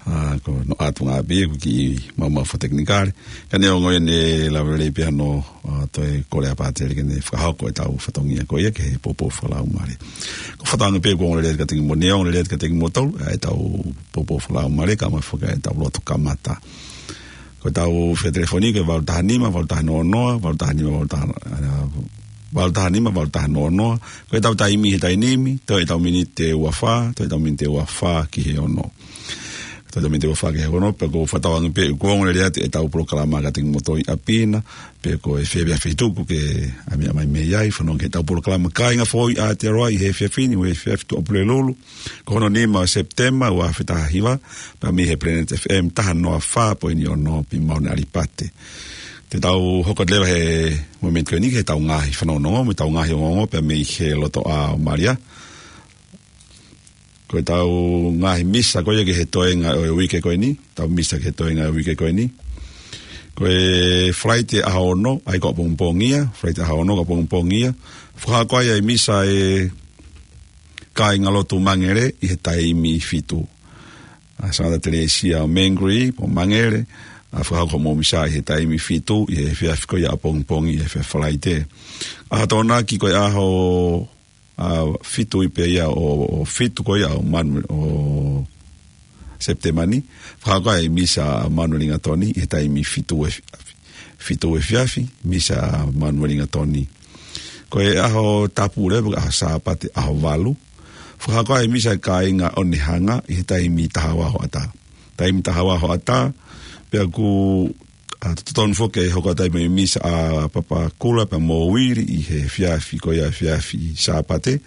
ʻa, ko hono ʻatunga pē ʻeku kiʻi maumau fakatekinikale. Ka neongo ia ne lava lelei pē hano, ʻa, toe kole ʻa Pātele ke ne fakahoko ʻetau fatongia ko ia ki he poupou fakalaumālie. Ko e fakatauange pē kuo ongo lelei atu kiate kimoutolu, neongo lelei atu kiate kimoutolu, ʻa, ʻetau poupou fakalaumālie, kae maʻu foki ʻetau lotu kamata. Ko ʻetau fea telefoni ko e valu taha nima, valu taha noa noa, valu taha nima, valu taha, ʻa, valu taha nima, valu taha noa noa. Ko ʻetau taimi he taimi ni, toe ʻetau miniti ʻe ua fā, toe ʻetau miniti ʻe ua fā ki he ono. Toe ʻetau miniti ʻe ua fā ki he ono, pea ʻoku ou fakatauange pē kuo ongo lelei atu ʻetau polokalama kiate kimoutolu ʻi ʻapi na, pea ko e efiafi tuku ke ʻami mai mei ai, fanongo ki heʻetau polokalama Kāinga Foʻou ʻi Aotearoa ʻi he efiafi ni, ʻo e efiafi Tuʻapulelulu. Ko hono nima ʻo Sepitema, ua afe taha hiva, pea mei he Planet F M taha noa fā poini ono ʻi Mauna ʻAlipate. Te tau hoko atu leva he momeniti ko eni ki heʻetau ngaahi fanongonongo, mo ʻetau ngaahi ongoongo, pea mei he lotoʻā ʻo Malia. Ko ʻetau ngaahi misa ko ia ki he toenga ʻo e uike ko eni, ʻetau misa ki he toenga ʻo e uike ko eni. Ko e Falaite ʻaho ono, ʻa ia ko ʻapongipongi ia, Falaite ʻaho ono ko ʻapongipongi ia. Fakahoko ai ʻa e misa ʻa e kāingalotu Mangere ʻi he taimi fitu. ʻA Sangata Telesia ʻo Mangere, pea mo Mangere, ʻa, fakahoko hoʻomou misa ʻi he taimi fitu, ʻi he efiafi ko ia ʻapongipongi, ʻi he efiafi Falaite. ʻAho Tokonaki ko e ʻaho, ʻa, fitu ai pē ia ʻo, ʻo fitu ko ia ʻo Manu-, ʻo Sepitema ni, fakahoko ai misa ʻa Manuelingatoni, ʻi he taimi fitu ʻo e efiafi, fitu ʻo e efiafi, misa ʻa Manuelingatoni. Ko e ʻaho Tapu leva, ʻaho Sāpate, ʻaho valu. Fakahoko ai misa ʻa e kāinga ʻOnehanga ʻi he taimi taha ua hoʻatā. Taimi taha ua hoʻatā, pea ʻoku, ʻa, totonu foki ke hoko atu ai mo e misa ʻa Papakula pea mo Uili ʻi he efiafi ko ia efiafi Sāpate.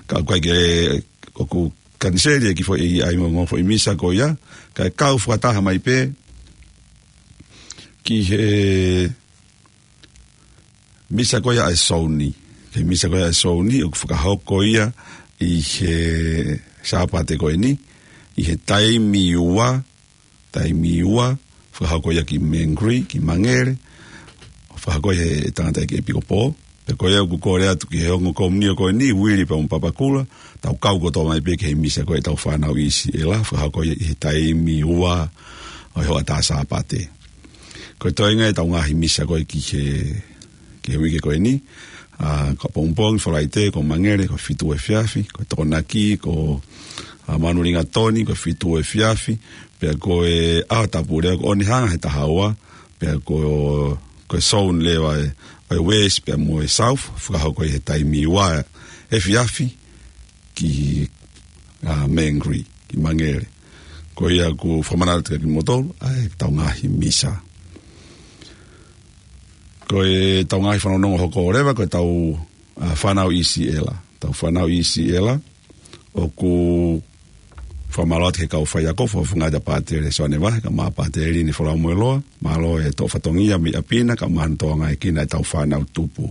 Ka ʻoku ʻikai ke, ʻoku kaniseli e kiʻi foʻi, ʻa e ongoongo foʻi misa ko ia, kae kau fakataha mai pē ki he misa ko ia ʻa e Souni. Ki he misa ko ia ʻa e Souni, ʻoku fakahoko ia ʻi he Sāpate ko eni, ʻi he taimi ua, taimi ua, fakahoko ia ki Mangere, ki Mangere, fakahoko ia he tangataʻeiki ʻEpikopō, pea ko ia ʻoku kole atu ki he ongo komiunio ko eni, Uili pea mo Papakula, tau kau kotoa mai pē ki he misa ko ia ʻetau fānau ʻIsiʻela, fakahoko ia ʻi he taimi ua ʻo e hoʻatā Sāpate. Ko e toenga ʻetau ngaahi misa ko ia ki he, ki he uike ko eni, ʻa, ko ʻapongipongi, Falaite, ko Mangere, ko e fitu ʻo e efiafi, ko Tokonaki, ko, ʻa, Manuelingatoni, ko e fitu ʻo e efiafi, pea ko e ʻaho Tapu leva ko ʻOnehanga he taha ua, pea ko, ko e Souni leva ʻa e, ʻa e West pea mo e South, fakahoko ʻi he taimi ua efiafi, ki, ʻa, Mangere, ki Mangere. Ko ia ʻoku fakamanatu kiate kimoutolu, ʻa ʻetau ngaahi misa. Ko ʻetau ngaahi fanongonongo hoko leva, ko ʻetau, ʻa, fānau ʻIsiʻela. ʻEtau fānau ʻIsiʻela, ʻoku Fakamālō atu ki he kau faiako, fakafofonga ʻa Pātele Soane Vahe, kae ʻumaʻā Pātele Liini Folamoeloa, mālō e toʻo fatongia mei ʻapi na, kae ʻumaʻā hono tokangaʻi ʻa e kau fānau tupu.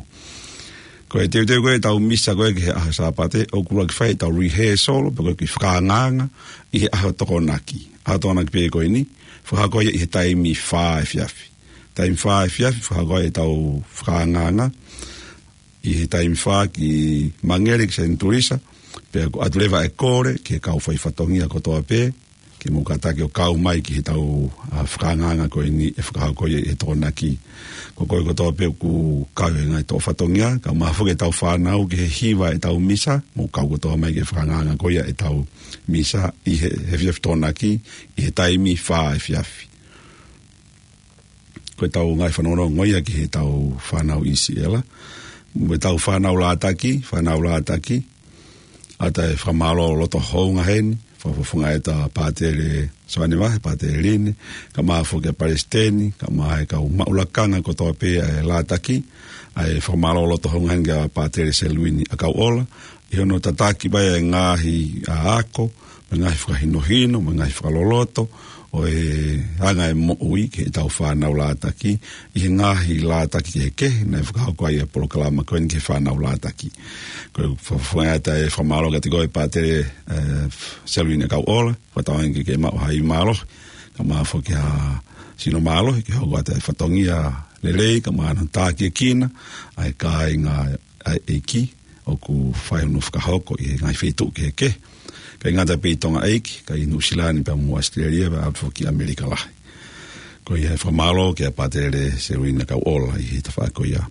Ko e teuteu ko ē ʻetau misa ko ē ki he ʻaho Sāpate, ʻoku ʻuluaki fai ʻetau rehearsal, pe ko e kiʻi fakaangaanga, ʻi he ʻaho Tokonaki. ʻAho Tokonaki pē ko eni, fakahoko ia ʻi he taimi fā efiafi. Taimi fā efiafi, fakahoko ʻetau fakaangaanga, ʻi he taimi fā ki Mangere ki Saint Teresa, pea ʻoku ʻatu leva e kole ki he kau fai fatongia kotoa pē, ke mou kātaki ʻo kau mai ki heʻetau, ʻa, fakaangaanga ko eni ʻe fakahoko ia ʻi he Tokonaki. Ko koe kotoa pē ʻoku kau he ngaahi toʻo fatongia, kae ʻumaʻā foki ʻetau fānau ki he hiva ʻetau misa, mou kau kotoa mai ki he fakaangaanga ko ia ʻetau misa ʻi he, he efiafi Tokonaki, ʻi he taimi fā efiafi. Ko ʻetau ngaahi fanongonongo ia ki heʻetau fānau ʻi Siela. Mo ʻetau fānau Lātaki, fānau Lātaki. ʻOatu e fakamālō loto hounga heni, fakafofonga ʻa Pātele Soane Vahe, Pātele Liini, kae ʻumaʻā foki ʻa e Palesiteni, kae ʻumaʻā e kau maʻu lakanga kotoa pē ʻa e Lātaki, ʻa e fakamālō loto hounga heni kia Pātele Seluini ʻAkauʻola, ʻi hono tataki mai e ngaahi, ʻa, ako, mo e ngaahi fakahinohino, mo e ngaahi fakaloloto, ʻo e anga e moʻui ki heʻetau fānau Lātaki, ʻi he ngaahi Lātaki kehekehe, naʻe fakahoko ai e polokalama ko eni ki he fānau Lātaki. Ko e fakafofonga ʻa e fakamālō kiate koe Pātele, ʻe, Seluini ʻAkauʻola, fakatauange ke ke maʻu ha ʻi mālohi, kae ʻumaʻā foki ha sino mālohi, ke hoko atu e fatongia lelei, kae ʻumaʻā hono tākiekina, ʻa e kāinga ʻa e ʻEiki, ʻoku fai hono fakahoko ʻi he ngaahi feituʻu kehekehe. ʻIkai ngata pē ʻi Tonga ʻEiki, ka ʻi Nuʻusila ni pea mo ʻAositelēlia, pea ʻalu foki ki ʻAmelika Lahi. Ko ia e fakamālō kia Pātele Seluini ʻAkauʻola ʻi he tafaʻaki ko ia.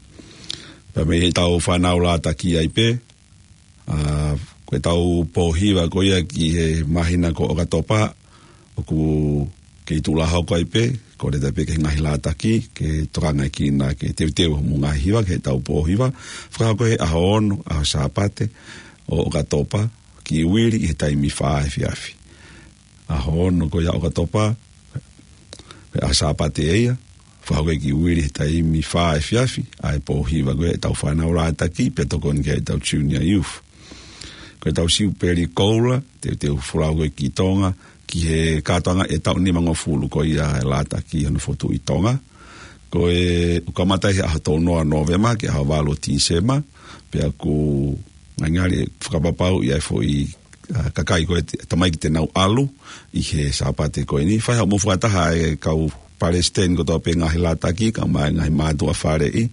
Pea mei heʻetau fānau Lātaki ai pē, ʻa, ko ʻetau pōhiva ko ia ki he māhina ko ʻOkatopa, ʻoku kei tuʻu lā hoko ai pē, kole atu pē ki he ngaahi Lātaki, ke tokangaʻi kinaua ke teuteu hoʻomou ngaahi hiva ki heʻetau pōhiva, fakahoko he ʻaho ono, ʻaho Sāpate, ʻo ʻOkatopa, ki Uili ʻi he taimi fā efiafi. ʻAho ono ko ia ʻOkatopa, ko e ʻaho Sāpate ia, fakahoko ki Uili he taimi fā efiafi, ʻa e pōhiva ko ia ʻetau fānau Lātaki, pea tokoni ki ai ʻetau junior youth. Ko ʻetau Siupeli Koula, teuteu folau ko ē ki Tonga, ki he kātoanga ʻe taʻu nimangofulu ko ia e Lātaki hono fokotuʻu ʻi Tonga. Ko e ʻoku kamata he ʻaho tolu noa Nōvema ki he ʻaho valu Tīsema, pea ʻoku ngali fakapapauʻi ʻa e foʻi, ʻa, kakai ko ē te, tamaiki te nau ʻalu ʻi he Sāpate ko eni. Fai haʻamou fakataha e kau palesiteni kotoa pē ngaahi Lātaki, kae ʻumaʻā e ngaahi mātuʻa faleʻi.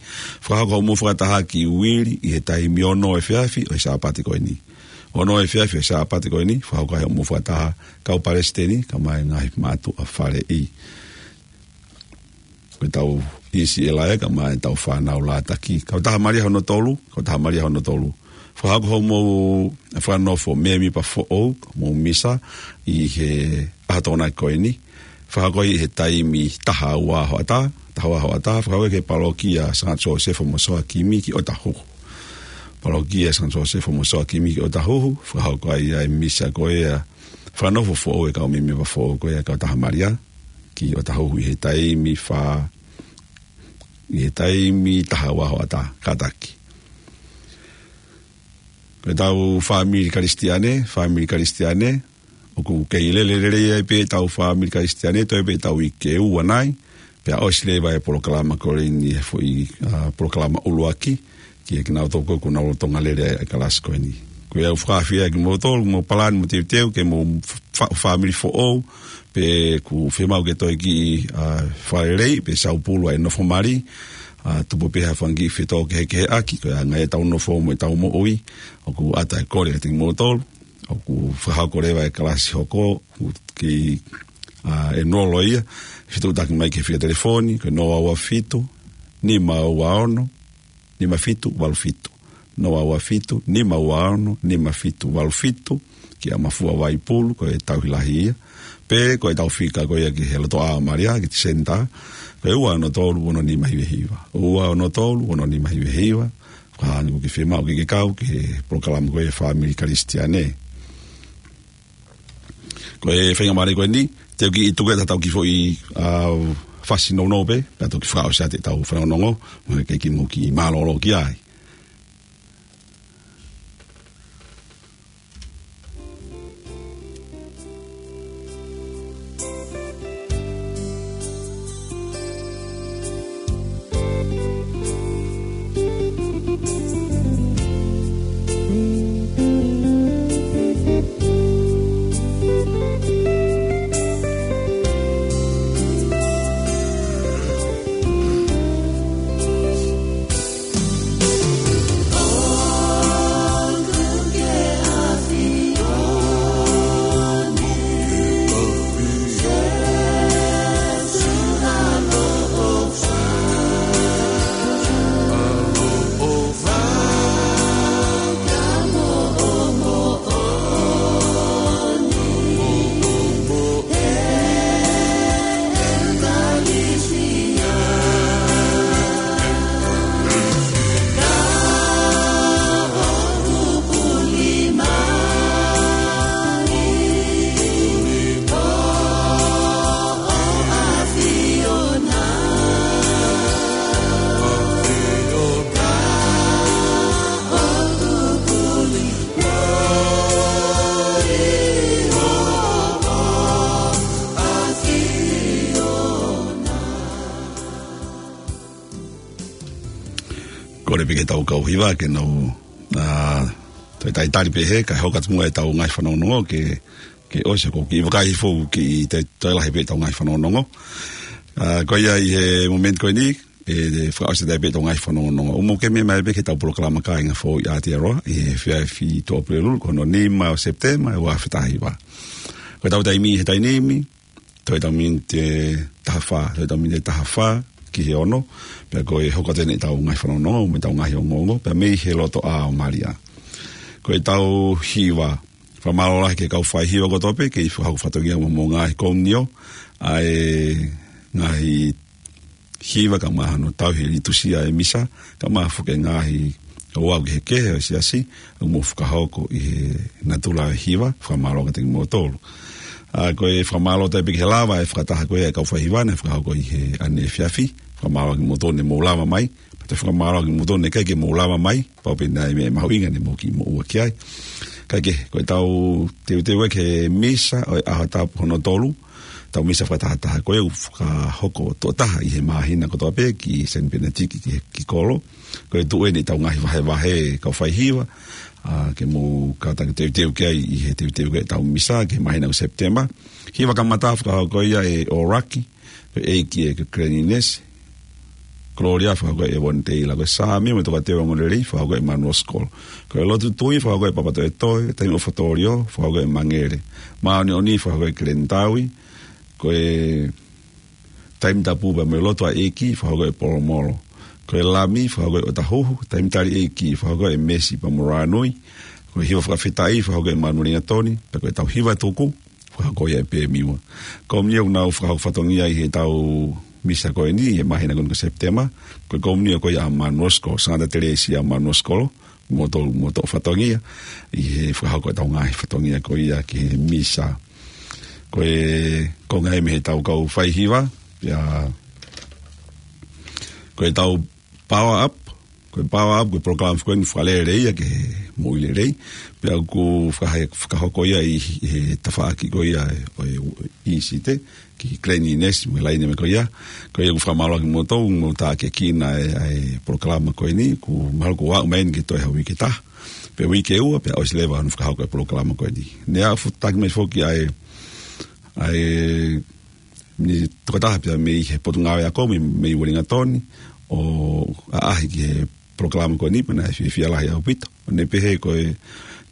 Fakahoko haʻamou fakataha ki Uili ʻi he taimi ono efiafi ʻo e Sāpate ko eni. Ono efiafi ʻo e Sāpate ko eni, fakahoko haʻamou fakataha kau palesiteni, kae ʻumaʻā e ngaahi mātuʻa faleʻi. Ko ʻetau ʻi Siela ē, kae ʻumaʻā ʻetau fānau Lātaki. Kautaha Malia hono tolu, Kautaha Malia hono tolu. Fakahoko hoʻomou fakanofo mēmipa foʻou, mou misa, ʻi he ʻaho Tokonaki ko eni. Fakahoko ʻi he taimi taha ua hoʻatā, taha ua hoʻatā, fakahoko ki he palokia Sangata Siosefa mo Soakimi ki ʻOtahuhu. Palokia Sangata Siosefa mo Soakimi ki ʻOtahuhu, fakahoko ai ʻa e misa ko ia, fakanofo foʻou e kau mēmipa foʻou ko ia Kautaha Malia, ki ʻOtahuhu ʻi he taimi fā, ʻi he taimi taha ua hoʻatā, kātaki. Ko ʻetau fāmili Kalisitiane, fāmili Kalisitiane, ʻoku kei lele lelei ai pē ʻetau fāmili Kalisitiane, toe pē ʻetau uike ʻe ua nai, pea ʻosi leva e polokalama ko eni he foʻi, ʻa, polokalama ʻuluaki, ki he kinautolu ko ē ʻoku nau lolotonga lele ʻa e kalasi ko eni. Ko ia ʻoku ou fakaafeʻi kimoutolu, mou palani mo teuteu, ke mou fa-, fāmili foʻou, pe ʻoku fiemaʻu ke toe kiʻi, ʻa, fakalelei, pe saupulu ʻa e nofo mali, ʻa, tupu pē ha fanga kiʻi fetōkehekeheʻaki, ko e anga ia ʻetau nofo mo ʻetau moʻui, ʻoku ʻatā e kole kiate kimoutolu, ʻoku fakahoko leva e kalasi hoko, ʻoku kei, ʻa, ʻenolo ia, fetuʻutaki mai ki he fika telefoni, ko e noa ua fitu, nima ua ono, nima fitu valu fitu. Noa ua fitu, nima ua ono, nima fitu valu fitu, kia Mafua Vaipulu, ko e tauhi lahi ia. Pe ko ʻetau fika ko ia ki he lotoʻā ʻo Malia, ki he senitā, ko e ua ono tolu ono nima hiva hiva. Ua ono tolu ono nima hiva hiva. Ka hangē ʻoku ke fiemaʻu ke ke kau ki he polokalama ko ia e fāmili Kalisitiane. Ko e faingamālie ko eni, te u kiʻi tuku atu haʻatau kiʻi foʻi, ʻa, fasi nounou pē, pea toki fakaʻosi atu ʻetau fanongonongo, mo e kei kiʻi mou kiʻi mālōlō ki ai. kau hiva ke nau, ā, toe talitali pē he, kae hoko atu muʻa ʻetau ngaahi fanongonongo ke, ke ʻosi ko ki vakai fou ki te, toe lahi pē ʻetau ngaahi fanongonongo. Ā, ko ia ʻi he momeniti ko eni, ʻe, ʻe fakaʻosi atu pē ʻetau ngaahi fanongonongo. ʻOku mou kei meʻa mai pē ki heʻetau polokalama Kāinga Foʻou ʻi Aotearoa, ʻi he efiafi Tuʻapulelulu, ko hono nima ʻo Sepitema, ʻe ua afe taha hiva. Ko ʻetau taimi he taimi ni, toe ʻetau miniti ʻe taha fā, toe ʻetau miniti ʻe taha fā ki he ono, pea ko e hoko atu eni ʻetau ngaahi fanongonongo, mo ʻetau ngaahi ongoongo, pea mei he lotoʻā ʻo Malia. Ko ʻetau hiva, fakamālō lahi ki he kau faihiva kotoa pē, kei fakahoko fatongia mo hoʻomou ngaahi komiunio, ʻa e ngaahi hiva kae ʻumaʻā hono tauhi e litusia ʻo e misa, kae ʻumaʻā foki e ngaahi ouau kehekehe ʻo e siasi, ʻoku mou fakahoko ʻi he natula ʻo e hiva, fakamālō kiate kimoutolu. Ā, ko e fakamālō atu pē ki he lava e fakataha ko ia ʻa e kau faihiva naʻe fakahoko ʻi he ʻaneefiafi, fakamālō kimoutolu naʻa mou lava mai, pea toe fakamālō kimoutolu naʻe ʻikai ke mou lava mai, pau pē naʻe ʻi ai e meʻa mahuʻinga naʻa mou kiʻi moʻua ki ai. Kae kehe, ko ʻetau teuteu ʻa e misa ʻo e ʻaho Tapu hono tolu, ʻetau misa fakatahataha ko ia ʻoku fakahoko tuʻo taha ʻi he māhina kotoa pē ki Saint Bernadette ki, ki kolo. Ko e tuʻu eni ʻetau ngaahi vahevahe kau faihiva, ā, ke mou kātaki teuteu ki ai ʻi he teuteu ki heʻetau misa ki he māhina ko Sepitema. Hiva kamata fakahoko ia ʻe ʻOraki, ko e ʻEiki ʻe ko Glenn Inesi, Gloria fakahoko ʻe Vonitei Lako Sāmi, mo e Tokateu Ongoongolelei fakahoko ʻe Manuel Skolo. Ko e Lotu Tui fakahoko ʻe Papatoetoe, Taimi ʻOfa Tōliō fakahoko ʻe Mangele. Māʻoniʻoni fakahoko ʻe Glenn Taui, ko e Taimi Tapu pea mo e Lotu ʻa e ʻEiki fakahoko ʻe Polomolo. Ko e Lami fakahoko ʻe ʻOtahuhu, Taimi Tali ʻEiki fakahoko ʻe Mesi pea mo Rānui. Ko e Hiva Fakafetaʻi fakahoko ʻe Manueli Gatoni, pea ko ʻetau hiva tuku fakahoko ia ʻe Pemiua. Komiunio ʻoku nau fakahoko fatongia ʻi heʻetau misa ko eni, ʻi he māhina ko eni ko Sepitema, ko e komiunio ko ia ʻa Manuel Skolo, Sangata Telesia Manuel Skolo, mo tō, mo tō fatongia, ʻi he fakahoko ʻetau ngaahi fatongia ko ia ki he misa. Ko e konga ia mei heʻetau kau faihiva, pea ko ʻetau Power Up, ko e Power Up, ko e polokalama ko eni fakalelei ia ki he moʻui lelei, pea ʻoku fakahe-, fakahoko ia ʻi, ʻi he tafaʻaki ko ia ʻo e, ʻo e ʻīsite, ki Glenn Inesi, mo e laine meʻa ko ia. Ko ia ʻoku fakamālō atu kimoutolu, mou tākiekina e, e polokalama ko eni, ʻoku mahalo kuo aʻu mai eni ki he toe ha uike ʻe taha, pe uike ʻe ua, pea ʻosi leva hono fakahoko e polokalama ko eni. Naʻe aʻu fu-, taki mai foki ʻa e, ʻa e, ni tokotaha pea mei he Potungāue Ako mei, mei Uelingatoni, ʻo ʻaʻahi ki he polokalama ko eni, pea naʻe fiefia lahi ʻaupito. ʻO ne pehē ko e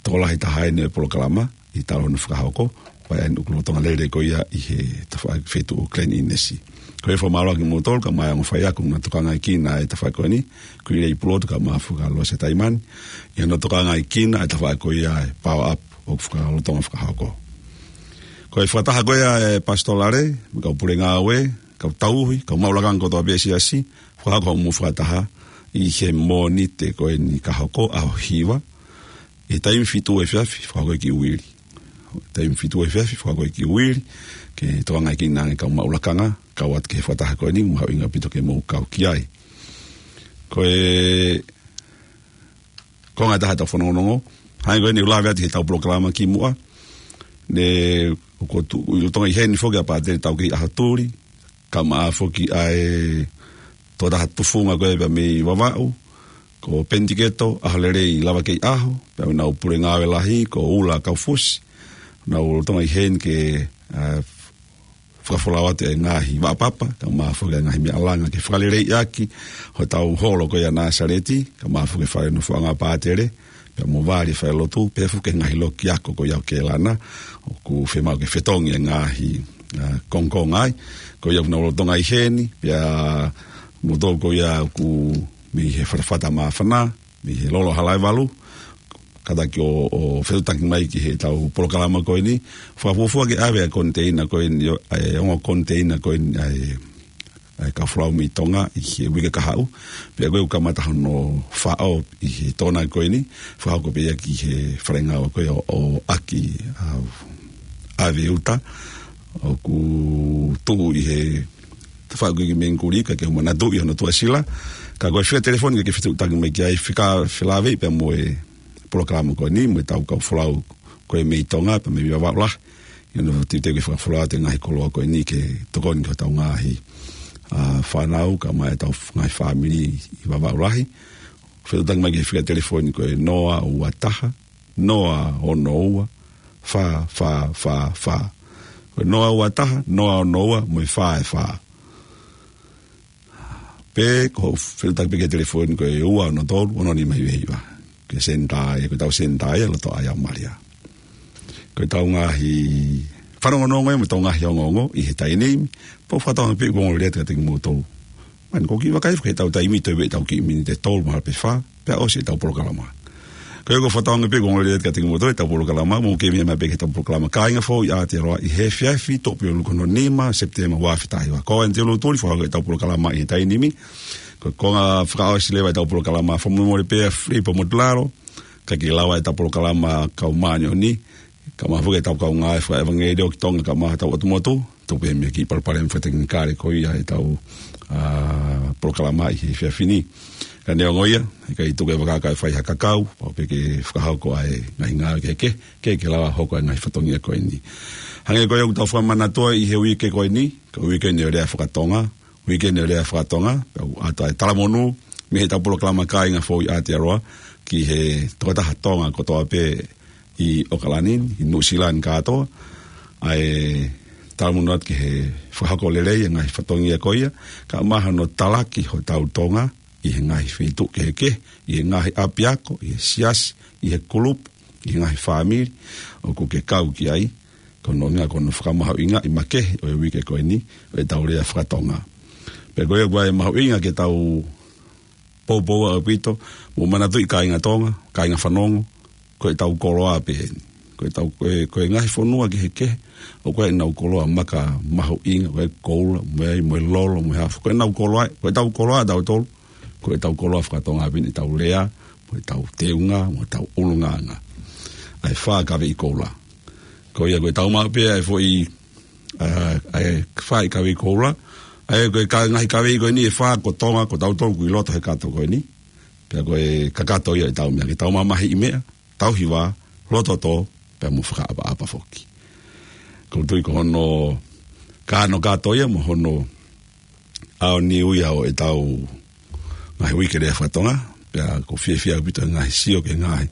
tokolahi taha eni ʻo e polokalama, ʻi he talu hono fakahoko, pea ʻoku lolotonga lele ko ia ʻi he tafaʻaki feituʻu ʻo Glenn Inesi. Ko e fakamālō atu kimoutolu, kae ʻumaʻā e ongo faiako naʻa nau tokangaekina e tafaʻaki ko eni, Kuileʻi Pulotu kae ʻumaʻā foki ʻa Losa Taimani, ʻi hono tokangaekina e tafaʻaki ko ia e Power Up ʻoku fakalolotonga fakahoko. Ko e fakataha ko ia ʻa e Pasitolale, mo e kau pule ngāue, kau tauhi, kau maʻu lakanga kotoa pē ʻa e siasi, fakahoko hoʻomou fakataha ʻi he Mōnite ko eni ka hoko ʻaho hiva, ʻi he taimi fitu efiafi, fakahoko ia ki Uili. Taimi fitu efiafi, fakahoko ia ki Uili, ke tokangaekina ange kau maʻu lakanga, kau atu ki he fakataha ko eni, mahuʻinga ʻaupito ke mou kau ki ai. Ko e konga ʻe taha ʻetau fanongonongo, hangē ko eni ʻoku lave atu ki heʻetau polokalama kimuʻa, ne ʻoku tuʻu ʻi lolotonga ʻi heni foki ʻa Pātele Taukei ʻAhotuli, kae ʻumaʻā foki ʻa e tokotaha tufunga ko ē pea mei Vavaʻu, ko Penitiketo ʻAholelei Lavakeiʻaho, pea mo ʻenau pule ngāue lahi, ko Ula Kaufusi, nau lolotonga ʻi heni ke, ā, fakafolau atu e ngaahi vaʻa papa, kae ʻumaʻā foki e ngaahi meʻa langa ke fakaleleiʻaki hotau holo ko ia ʻa Nāsaleti, kae ʻumaʻā foki e fale nofoʻanga ʻo Pātele, pea mo Vali falelotu, pea foki e ngaahi loki ako ko ia ʻo Kēlana, ʻoku fiemaʻu ke fetongi e ngaahi, ā, kongokonga ai. Ko ia ʻoku nau lolotonga ʻi heni, pea mo tō ko ia ʻoku mei he fatafata māfana, mei he lolo Halaevalu, kātaki ʻo, ʻo fetuʻutaki mai ki heʻetau polokalama ko eni, fakafuofua ke ʻave ʻa e koniteina ko eni, ʻo, ʻa e ongo koniteina ko eni, ʻa e ʻa e kau folau mei Tonga ʻi he uike kahaʻu, pea ko ē ʻoku kamata hono faʻo ʻi he Tokonaki ko eni, fakahoko pē ia ki he fale ngāue ko ē ʻo, ʻo ʻAki, ā, ʻAve Uta, ʻoku tuʻu ʻi he tafaʻaki ko ē ki Mengikuli, ka ke manatuʻi hono tuʻasila, ka ko e fika telefoni ke ke fetuʻutaki mai ki ai, fika felāveʻi pea mo e polokalama ko eni, mo ʻetau kau folau ko ē mei Tonga, pea mei Vavaʻu lahi, ʻi hono teuteu ke fakafolau atu e ngaahi koloa ko eni ke tokoni ki hotau ngaahi, ā, fānau, kae ʻumaʻā ʻetau ngaahi fāmili ʻi Vavaʻu lahi, Fetuʻutaki mai ki he fika telefoni ko e noa ua taha, noa ono ua, fā fā fā fā. Ko e noa ua taha, noa ono ua, mo e fā e fā. Pe ko e fetuʻutaki pē ki he telefoni ko e ua ono tolu, ono nima hiva hiva. Ko e senitā ia, ko ʻetau senitā ia, loto ʻa e ʻAomalia. Ko ʻetau ngaahi fanongonongo ia mo ʻetau ngaahi ongoongo ʻi he taimi ni, pea ʻoku ou fakatauange pē ʻoku ongo lelei atu kiate kimoutolu. Mahalo ʻoku kiʻi vakai foki heʻetau taimi, toe ʻi ai ʻetau kiʻi miniti ʻe tolu mahalo pē fā, pea ʻosi ʻetau polokalama. Ko ia ʻoku ou fakatauange pē ʻoku ongo lelei atu kiate kimoutolu ʻetau polokalama, mou kei meʻa mai pē ki heʻetau polokalama Kāinga Fou ʻi Aotearoa ʻi he efiafi Tuʻapulelulu ko hono nima Sepitema ua afe taha hiva. Ko au Antiolo Tuli, fakahoko ʻetau polokalama ʻi he taimi ni. Ko e konga fakaʻosi leva ʻetau polokalama, fakamolemole pē Filipo Motilalo, ka ʻikai ke lava ʻetau polokalama kau māʻoniʻoni, kae ʻumaʻā foki ʻetau kaungā fakaʻevangeliō ki Tonga, kae ʻumaʻā hotau ʻotu motu, tuku pē mei he kiʻi palopalema fakatekinikale ko ia ʻetau, ā, polokalama ʻi he efiafi ni. Ka neongo ia, ʻikai tuku e vaka kae fai ha kakau, pau pē ke fakahoko ʻa e ngaahi ngāue kehekehe, ke ke lava hoko ʻa e ngaahi fatongia ko eni. Hangē ko ia ʻoku tau fakamanatua ʻi he uike ko eni, ko e uike eni ʻo e lea fakatonga, uike eni ʻo e lea fakatonga, pea ʻoku ʻoatu ʻa e talamonū mei heʻetau polokalama Kāinga Fou ʻi Aotearoa ki he tokotaha Tonga kotoa pē ʻi ʻOkalani ni, ʻi Nuʻusila ni kātoa, ʻa e talamonū atu ki he fakahoko lelei ʻa e ngaahi fatongia ko ia, kae ʻumaʻā hono talaki hotau Tonga ʻi he ngaahi feituʻu kehekehe, ʻi he ngaahi ʻapiako, ʻi he siasi, ʻi he kulupu, ʻi he ngaahi fāmili ʻoku ke kau ki ai, ko hono ʻuhinga ko hono fakamahuʻingaʻi makehe ʻo e uike ko eni ʻo ʻetau lea fakatonga. Pea ko ia ʻoku ʻi ai e mahuʻinga ke tau poupou ʻaupito, mou manatuʻi kāinga Tonga, kāinga fanongo, ko ʻetau koloa pē eni. Ko ʻetau, ko e, ko e ngaahi fonua kehekehe ʻoku ʻi ai ʻenau koloa maka mahuʻinga, ko e koula, mo e, mo e lolo, mo e hā fua. Ko ʻenau koloa, ko ʻetau koloa ʻatautolu, ko ʻetau koloa fakatonga pē eni, ʻetau lea, mo ʻetau teunga, mo ʻetau ʻulungaanga. ʻA e fā kaveʻi koula. Ko ia ko ʻetau maʻu pē ʻa e foʻi, ā, ʻa e fā kaveʻi koula. ʻA ia ko e ka-, ngaahi kaveʻi ko eni ʻe fā ko Tonga, ko tautolu ʻoku ʻi loto he kato ko eni. Pea ko e kakato ia ʻetau meʻa, ke tau mamahiʻi meʻa, tauhi vā, loto tō, pea mo fakaʻapaʻapa foki. ʻOku ou tui ko hono kakano kātoa ia mo hono ʻaoniu ia ʻo ʻetau ngaahi uike lea fakatonga, pea ʻoku ou fiefia ʻaupito he ngaahi sio ki he ngaahi,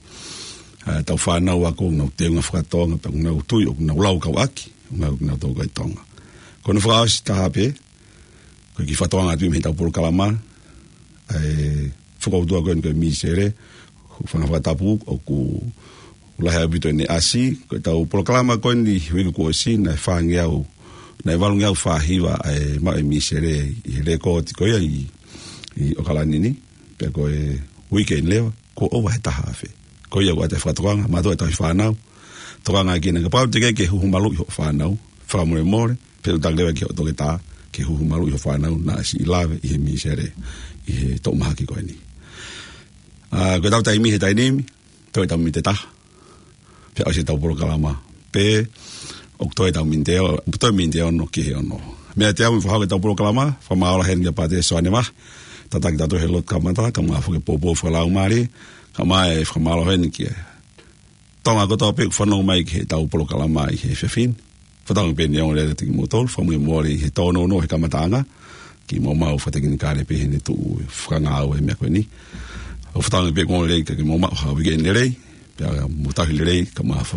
ā, ʻetau fānau ako ʻoku nau teunga fakatonga, pea ʻoku nau tui ʻoku nau laukau ʻaki, ʻoku nau, ʻoku nau tō ko e Tonga. Ko hono fakaʻosi taha pē, ko e kiʻi fakatokanga atu mei heʻetau polokalama, ʻa e fokoutua ko eni ko e mīsele, ko e fanga fakatapu, ʻoku lahi ʻaupito ʻene ʻasi, ko ʻetau polokalama ko eni uike kuo ʻosi, naʻe fāngeau, naʻe valungeau fā hiva ʻa e maʻu e mīsele ʻi he lēkooti ko ia ʻi, ʻi ʻOkalani ni, pea ko e uike ni leva, kuo ʻova he taha afe. Ko ia ʻoku ʻoatu e fakatokanga, mātuʻa ʻe tauhi fānau, tokanga ki ai kapau te ke, ke huhu maluʻi hoʻo fānau, fakamolemole, fetuʻutaki leva ki hoʻo toketā, ke huhu maluʻi hoʻo fānau naʻa siʻi lave ʻi he mīsele, ʻi he toʻu mahaki ko eni. Ā, ko ʻetau taimi he taimi ni, toe ʻetau miniti ʻe taha, pea ʻosi ʻetau polokalama. Pe, ʻoku toe ʻetau miniti ʻe, toe miniti ʻe ono ki he ono. Meʻa ʻe taha mei he fakahoko ʻetau polokalama, fakamālō heni kia Pātele Soane Mahe, tataki tautolu he lotu kamata, kae ʻumaʻā foki e poupou fakalaumālie, kae ʻumaʻā e fakamālō heni ki he Tonga kotoa pē ʻoku fanongo mai ki heʻetau polokalama ʻi he efiafi ni. Fakatauange pē ʻoku ongo lelei atu kiate kimoutolu, fakamolemole ʻi he tōnounou he kamataʻanga, kiʻi maumau fakatekinikale pē heʻene tuʻu fakangāue e meʻa ko eni. ʻOku fakatauange pē ʻoku ongo lelei kiate kimoutolu, ha uike lelei, pea mou tauhi lelei, kae ʻumaʻā foki